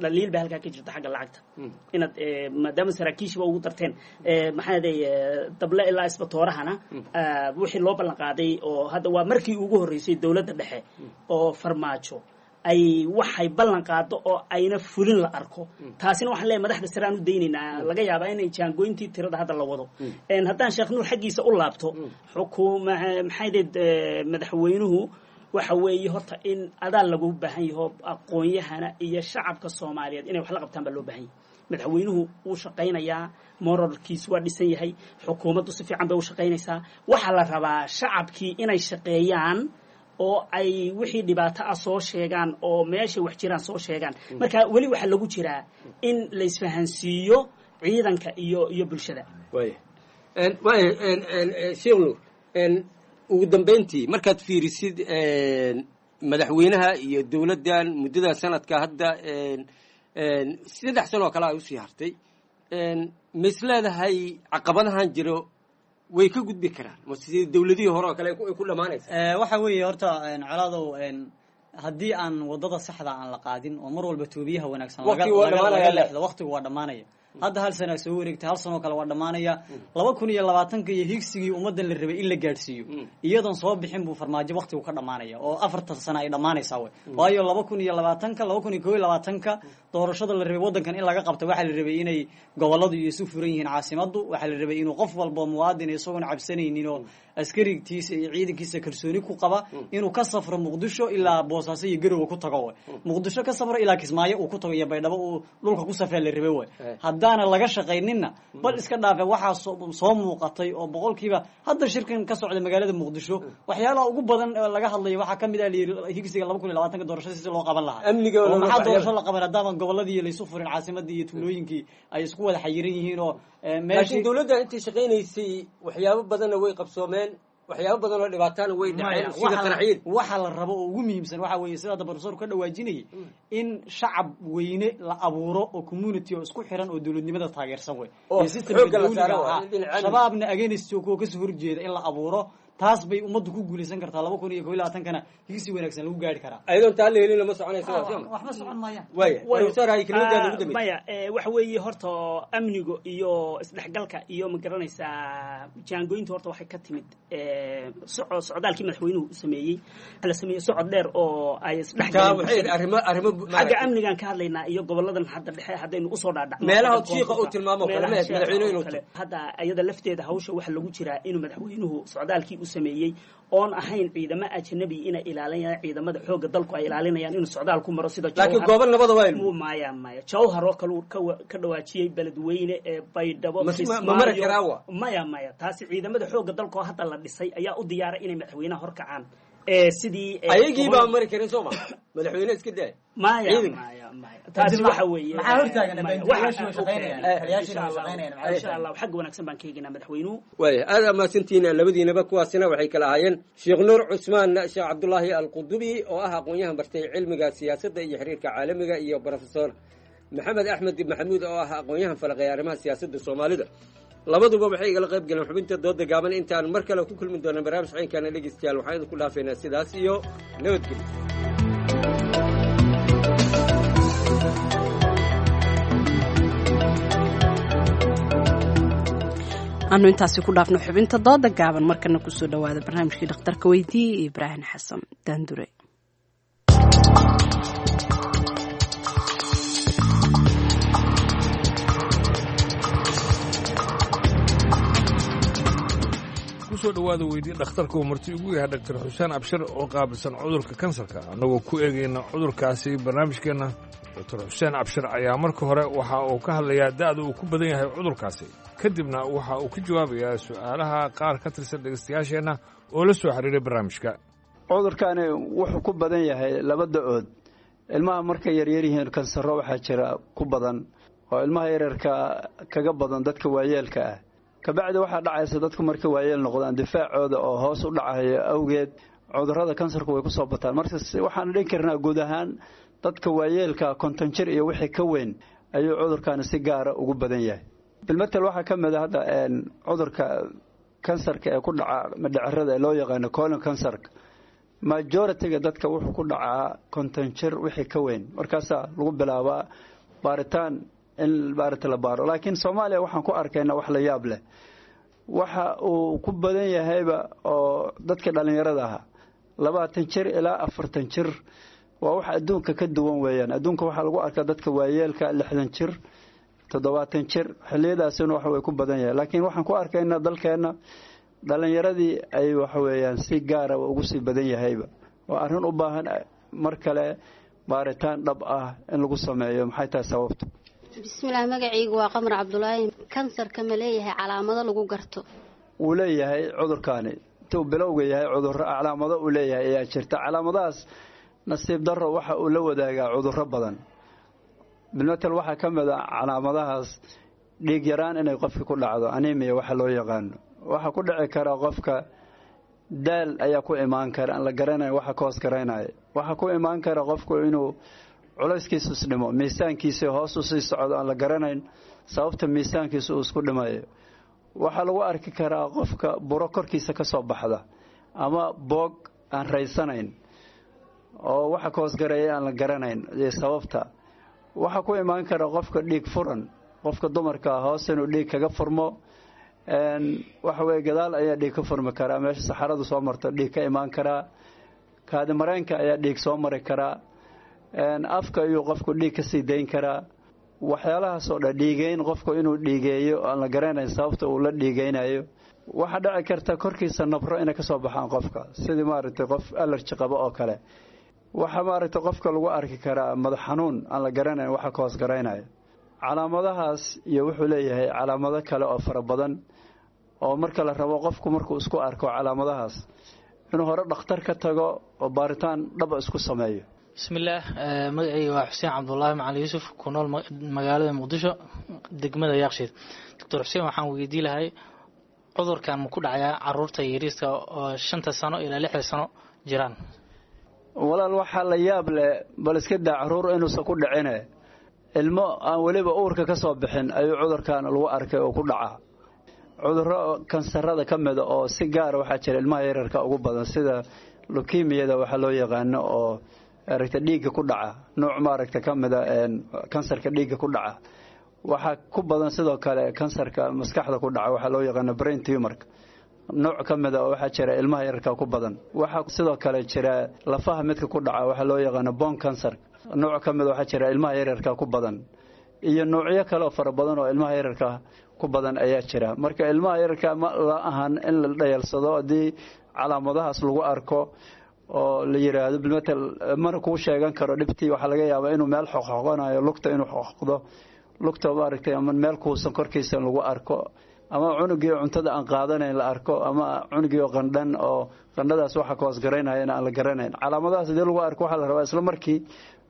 dhaliil baa halkaa ka jirta xagga lacagta inaad maadaama saraakiishiba ugu darteen maxaa day dable ilaa isbatoorahana wixii loo ballan qaaday oo hadda waa markii ugu horreysay dowladda dhexe oo Farmaajo ay waxay ballan qaado oo ayna fulin la arko. Taasina waxaan leeyahay madaxda sare aan u daynaynaa, laga yaabaa inay jaangooyntii tirada hadda la wado. Haddaan Sheekh Nuur xaggiisa u laabto, xukuma maxay deed madaxweynuhu waxa weeye horta in adaa lagu baahan yaho, aqoon-yahana iyo shacabka Soomaaliyeed inay wax la qabtaan baa loo baahan yahay. Madaxweynuhu wuu shaqaynayaa, moralkiisu waa dhisan yahay, xukuumaddu si fiican bay u shaqaynaysaa. Waxaa la rabaa shacabkii inay shaqeeyaan oo ay wixii dhibaato ah soo sheegaan oo meeshay wax jiraan soo sheegaan. Marka weli waxaa lagu jiraa in la isfahansiiyo ciidanka iyo bulshada. Waaya, waaya, Sheekh Nuur, ugu dambeyntii markaad fiirisid madaxweynaha iyo dowladdan muddada sanadka hadda 3 sano oo kale ay usii hartay, ma is leedahay caqabadahan jiro way ka gudbi karaan ma sidii dowladihii hore oo kale ay ku dhamaanaysa? Waxa weeye horta colaadow, haddii aan wadada saxda aan la qaadin oo mar walba toobiyaha wanaagsan Waqtigu waa laga dhamaanaya. leexdo, waqtigu waa dhammaanaya. Hadda hal sana soo wareegtay, hal sanoo kale waa dhammaanaya. 2020ka iyo higsigii ummaddan la rabay in la gaadhsiiyo iyadoon soo bixin buu Farmaajo waqtigu ka dhammaanaya oo 4ta sano ay dhammaanaysaa wey. Waayo 2020ka, 2021ka doorashada la rabay waddankan in laga qabto, waxaa la rabay inay gobolladu iyo isu furan yihiin caasimaddu, waxaa la rabay inuu qof walba muwaadin isagoon cabsanaynin oo askarigtiisa iyo ciidankiisa kalsooni ku qaba inuu ka safro Muqdisho ilaa Boosaaso iyo Garowe ku tago wey, Muqdisho ka safro ilaa Kismaayo uu ku tago iyo Baydhabo uu dhulka ku safraa la rabay wey. Haddaana laga shaqayninna bal iska dhaafe waxaa soo muuqatay oo boqolkiiba hadda shirkan ka socda magaalada Muqdisho waxyaalaha ugu badan ee laga hadlayo waxaa kamid ah layidhi higsiga 2020ka doorashada si loo qaban lahaa. Amniga Oo maxaa waxyaala- doorasho la qaban haddaaban gobolladii laysu furin, caasimadii iyo tuulooyinkii ay isku wada xayiran yihiin oo Laakiin dowladda intay shaqaynaysay waxyaabo badanna way qabsoomeen, waxyaabo badan oo dhibaatana way dhaceen, sida qaraxyada. Waxa la rabo oo ugu muhiimsan waxa weeye sida hadda professor ka dhawaajinayay in shacab weyne la abuuro oo community oo isku xiran oo dowladnimada taageersan wey Oo iyo systemka xoogga la dawliga saaro waa ahaa. in dhinaca amniga. Shabaabna against kuwa kasoo horjeeda in la abuuro, taas bay ummaddu ku guuleysan kartaa, 2021kana higsi wanaagsan lagu gaari karaa. Ayadoon taa la helin lama soconayso waa soo ma? Waxba socon maayaan. Waaya, professor, hay kelmadaada ugu dambeysay. Maya, waxa weeye horta amniga iyo isdhexgalka iyo ma garanaysaa jaangooyinta horta waxay ka timid socdaalkii madaxweynuhu u sameeyey, la sameeyey socod dheer oo ay Taa waxay isdhexgaleen. arrimo Xagga amnigan ka hadlaynaa iyo goboladan hadda dhexe haddaynu usoo dhaadhacno. Meelaha Hadda shiiqa uu tilmaamo kale, meelaha meesha shiiqa madaxweynuhu oo inuu kale. Hadda iyada lafteeda hawsha waxa lagu jiraa inuu madaxweynuhu socdaalkii u sameeyey oon ahayn ciidamo ajnabi inay ilaalinayaan, ciidamada xoogga dalku ay ilaalinayaan inuu socdaal ku maro sida Laakiin Jowhar. goobo nabada waa Maya, maya, Jawhar oo kale uu ka dhawaajiyey, Beledweyne ee Baydhabo, Ma mari Kismaayo. karaa wa? Maya, maya, taasi ciidamada xoogga dalka oo hadda la dhisay ayaa u diyaaray inay madaxweynaha horkacaan sidii Ayagii baa mari karin soo ma madaxweyne iska daay Maya. Ciidanka. Maya, maya, taasi waxa weeye Maxaa hortaagan? Maya, Taliyayaashu way shaqaynayaan. Okay. Taliyayaashu Insha way Allah. shaqaynayaan. Maxaa Insha Allah xagga wanaagsan baan ka eegaynaa madaxweynuhu. Waaya, aad amaasantihiin labadiinaba. Kuwaasina waxay kala ahaayeen Sheekh Nuur Cusmaan Sheekh Cabdulaahi Alqudubi oo ah aqoon-yahan bartay cilmiga siyaasadda iyo xiriirka caalamiga iyo professor Maxamed Axmed Maxamuud oo ah aqoon-yahan falaqeeya arrimaha siyaasadda Soomaalida. Labaduba waxay igala qayb galeen xubinta dooda gaaban. Intaan mar kale ku kulmi doona barnaamij ciinkaana, dhegeystayaal, waxaan idinku dhaafaynaa sidaas iyo nabadgelyo. Aanu intaasi ku dhaafno xubinta dooda gaaban, markana kusoo dhawaada barnaamijkii dhakhtarka weydiiyey iyo Ibraahim Xasan Daandure. Kusoo dhowaada weydii dhakhtarka uu marti ugu yahay Dhaktar Xuseen Abshir oo qaabilsan cudurka kansarka, annagoo ku eegayna cudurkaasi barnaamijkeenna. Doctor Xuseen Abshir ayaa marka hore waxa uu ka hadlayaa da'da uu ku badan yahay cudurkaasi, kadibna waxa uu ka jawaabayaa su'aalaha qaar ka tirsan dhegaystayaasheenna oo la soo xiriiray barnaamijka. Cudurkani wuxuu ku badan yahay laba da-ood. Ilmaha markay yaryar yihiin kansaro waxaa jira ku badan oo ilmaha yaryarka kaga badan dadka waayeelka ah. Kabacdi waxaa dhacaysa dadku markay waayeel noqdaan difaacooda oo hoos u dhacayo awgeed cudurrada kansarku way ku soo bataan. Marka waxaan dhihi karnaa guud ahaan dadka waayeelka 50 jir iyo wixii ka weyn ayuu cudurkani si gaara ugu badan yahay. Bilmatel waxaa ka mid a hadda cudurka kansarka ee ku dhaca madhacerada ee loo yaqaano colon kansarka, majority-ga dadka wuxuu ku dhacaa 50 jir wixii ka weyn. Markaasaa lagu bilaabaa baaritaan in baarita la baaro. Laakiin Soomaaliya waxaan ku arkaynaa wax la yaab leh, waxa uu ku badan yahayba oo dadka dhallinyarada ahaa 20 jir ilaa 40 jir. Waa wax adduunka ka duwan weeyaan. Adduunka waxaa lagu arkaa dadka waayeelka 60 jir, 70 jir, xilliyadaasina waxa way ku badan yahay. Laakiin waxaan ku arkaynaa dalkeenna dhallinyaradii ay waxa weeyaan si gaara ugu sii badan yahayba. Waa arrin u baahan mar kale baaritaan dhab ah in lagu sameeyo. Maxay tahay sababtu? Bismillaah, magacaygu waa Qamar Cabdulaahi. Kansarka ma leeyahay calaamado lagu garto? Wuu leeyahay cudurkaani. Intuu bilowga yahay cudurro calaamado uu leeyahay ayaa jirta. Calaamadahaas nasiib darro waxa uu la wadaagaa cudurro badan. Bilmatel waxaa ka mid a calaamadahaas dhiig yaraan inay qofka ku dhacdo, anemia waxa loo yaqaano. Waxaa ku dhici kara qofka daal ayaa ku imaan kara aan la garanayn waxa ka hoos garaynaya. Waxaa ku imaan kara qofku inuu culayskiisu isdhimo, miisaankiisa hoos u sii socdo aan la garanayn sababta miisaankiisu uu isku dhimayo. Waxaa lagu arki karaa qofka buro korkiisa ka soo baxda ama boog aan raysanayn oo waxa ka hoosgareeya aan la garanayn iyo sababta. Waxaa ku imaan kara qofka dhiig furan, qofka dumarka hoos inuu dhiig kaga furmo. Waxa weye gadaal ayaa dhiig ka furmi karaa, meesha saxaradu soo marto dhiig ka imaan karaa, kaadi mareenka ayaa dhiig soo mari karaa, afka ayuu qofku dhiig ka sii dayn karaa. Waxyaalahaasoo dhan dhiigeyn, qofku inuu dhiigeeyo aan la garanayn sababta uu la dhiigeynayo. Waxaa dhici karta korkiisa nabro inay ka soo baxaan qofka, sidii maaragtay qof alerji qabo oo kale. Waxaa maaragtay qofka lagu arki karaa madax xanuun aan la garanayn waxa ka hoos garaynayo. Calaamadahaas iyo wuxuu leeyahay calaamado kale oo fara badan oo marka la rabo qofku markuu isku arko calaamadahaas inuu hore dhakhtar ka tago oo baaritaan dhaba isku sameeyo. Bismillaah, magacayga waa Xuseen Cabdulaahi Macali Yuusuf, ku nool magaalada Muqdisho, degmada Yaaqshiid. Doctor Xuseen waxaan weydii lahay, cudurkan ma ku dhacayaa caruurta yariiska oo 5ta sano ilaa 6da sano jiraan? Walaal, waxaa la yaab leh, bal iska daa caruur inuusan ku dhicine, ilmo aan weliba uurka ka soo bixin ayuu cudurkan lagu arkay oo ku dhacaa. Cudurro kansarada ka mida oo si gaara waxaa jira ilmaha yararka ugu badan, sida leukemiyada waxaa loo yaqaano oo aragta dhiigga ku dhaca, nooc maaragta ka mida kansarka dhiigga ku dhaca. Waxaa ku badan sidoo kale kansarka maskaxda ku dhaca, waxaa loo yaqaano brain tumorka, nooc ka mida oo waxaa jira ilmaha yararka ku badan. Waxaa sidoo kale jira lafaha midka ku dhaca, waxaa loo yaqaano bone cancer, nooc ka mida waxaa jira ilmaha yararka ku badan, iyo noocyo kale oo fara badan oo ilmaha yararka ku badan ayaa jira. Marka ilmaha yararka ma la ahan in la dhayalsado haddii calaamadahaas lagu arko oo la yiraahdo bilmatel mana kuu sheegan karo dhibtii. Waxaa laga yaabaa inuu meel xoqxoqonayo, lugta inuu xoqdo lugta maaragtay, ama meel kuusan korkiisa lagu arko, ama cunugii cuntada aan qaadanayn la arko, ama cunugii oo qandhan oo qandhadaas waxa ka hoos garaynayana aan la garanayn. Calaamadahaas haddii lagu arko waxaa la rabaa isla markii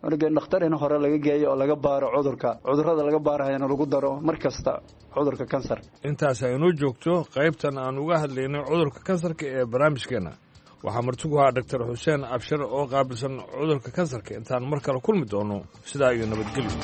cunugii dhakhtar in hore laga geeyo oo laga baaro cudurka. Cudurrada laga baarahayana lagu daro mar kasta cudurka kansarka. Intaas aynoo joogto qaybtan aan uga hadlaynay cudurka kansarka ee barnaamijkeenna. Waxaa martigu ahaa Doctor Xuseen Abshir oo qaabilsan cudurka kansarka. Intaan mar kale kulmi doono, sidaa iyo nabadgelyo.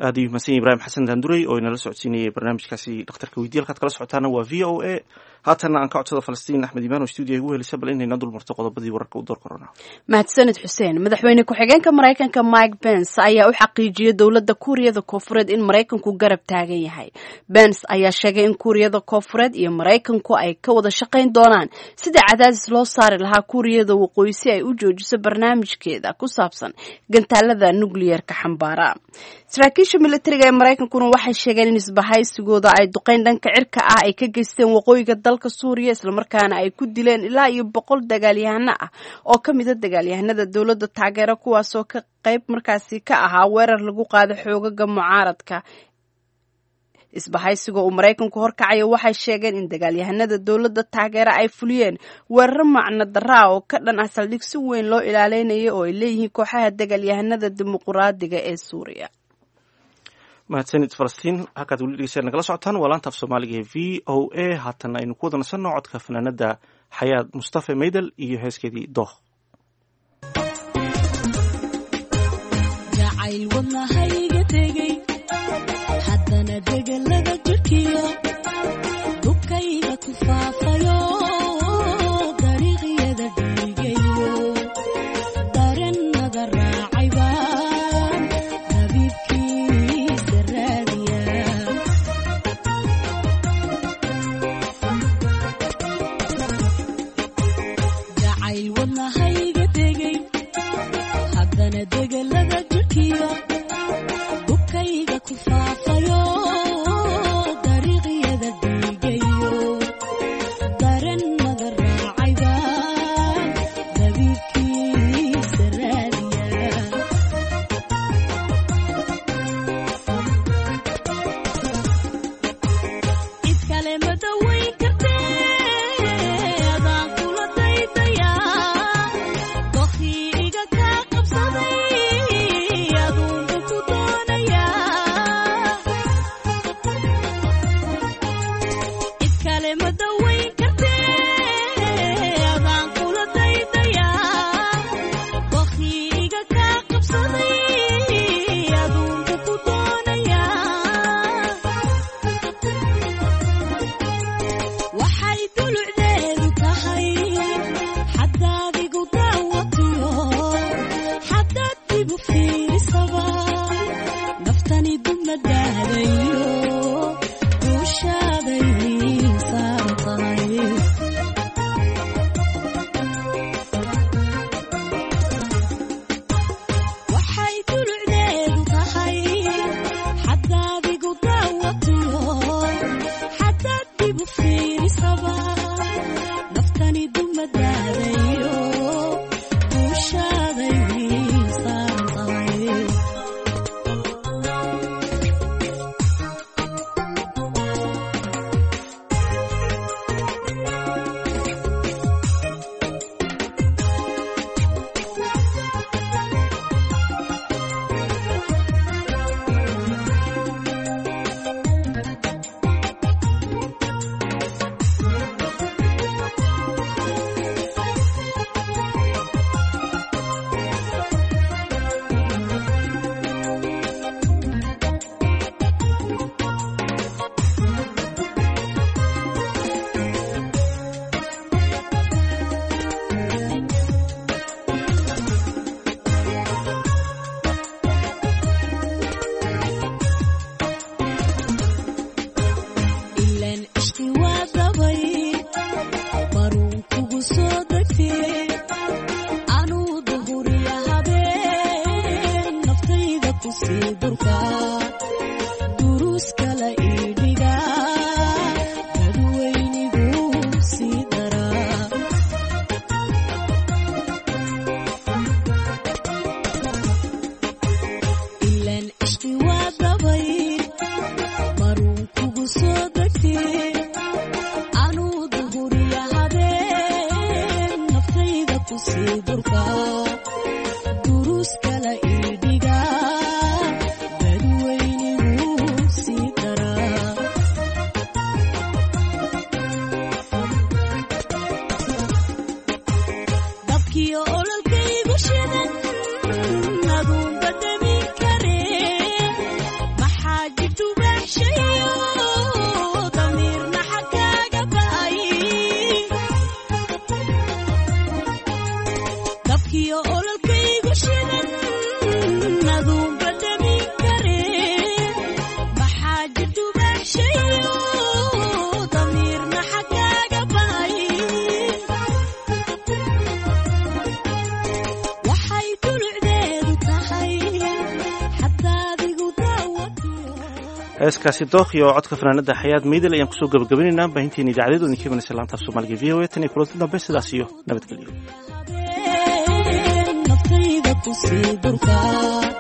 Aad ayuu mahadsan yahay Ibraahim Xasan Daandurey oo inala socodsiinayay barnaamijkaasi dhakhtarka weydiye. Halkaad kala socotaana waa VOA. Haatanna aan ka codsada Falastiin Axmed Imaan oo stuudiya igu helisa bal inayna dul marto qodobadii wararka u door korona. Mahadsanid Xuseen. Madaxweyne ku-xigeenka Maraykanka Mike Pence ayaa u xaqiijiyey dowladda Kuuriyada Koonfureed in Maraykanku garab taagan yahay. Pence ayaa sheegay in Kuuriyada Koonfureed iyo Maraykanku ay ka wada shaqayn doonaan sidii cadaadis loo saari lahaa Kuuriyada Waqooyi si ay u joojiso barnaamijkeeda ku saabsan gantaalada nukliyeerka xambaara. Saraakiisha militariga ee Maraykankuna waxay sheegeen in isbahaysigooda ay duqeyn dhanka cirka ah ay ka geysteen waqooyiga dalka Suuriya, islamarkaana ay ku dileen ilaa iyo 100 dagaalyahano ah oo ka mida dagaalyahanada dowladda taageera, kuwaasoo ka qayb markaasi ka ahaa weerar lagu qaado xoogaga mucaaradka. Isbahaysiga uu Maraykanku horkacayo waxay sheegeen in dagaalyahanada dowladda taageera ay fuliyeen weeraro macno darra ah oo ka dhan ah saldhig si weyn loo ilaaleynayo oo ay leeyihiin kooxaha dagaalyahanada dimuquraadiga ee Suuriya. Mahadsanid Falastiin. Halkaad weli dhegeystayaal nagala socotaan waa laanta af Soomaaliga ee VOA. Haatan aynu ku wada nasanno codka fanaanada Xayaad Mustafa Meydel iyo heeskeedii Dooh. Jacayl wadnahayga tegey, haddana degelada jirkiyo dubkayga ku faafayo, dariiqyada dhiigayo, darannada raacay baan dabiibkiisa raadiya. Jacayl wadnahayga tegey, haddana degelada jirkiyo dubkayga ku faafayo, dariiqyada dhiigayo, darannada raacay baan dabiibkiisa raadiya. Cid kale ma dawayn kartee, adaan kula daydayaa, dokhii iga kaa qabsaday, aduunba ku doonayaa. Cid kale ma dawayn kartee, adaan kula daydayaa, dokhii iga kaa qabsaday, aduunba ku doonayaa. Waxay dulucdeedu tahay xadaad igu daawatiyo, xadaad igu fiirisaba, naftani dumadaadayo duushaaday saaran tahay. Waxay dulucdeedu tahay xadaad igu daawatiyo, xadaad igu fiirisaba, naftani dumadaadayo duushaaday saaran tahay. Heeskaasi dookhi oo codka fanaanada Xayaad Miidel ayaan kusoo gabagabaynaynaa baahinteena idaacadeed oo idinka imanaysa laanta af Soomaaliga VOA. Tan iyo kulanti dambe, sidaas iyo nabadgelyo. Naftayda kusii durkaa.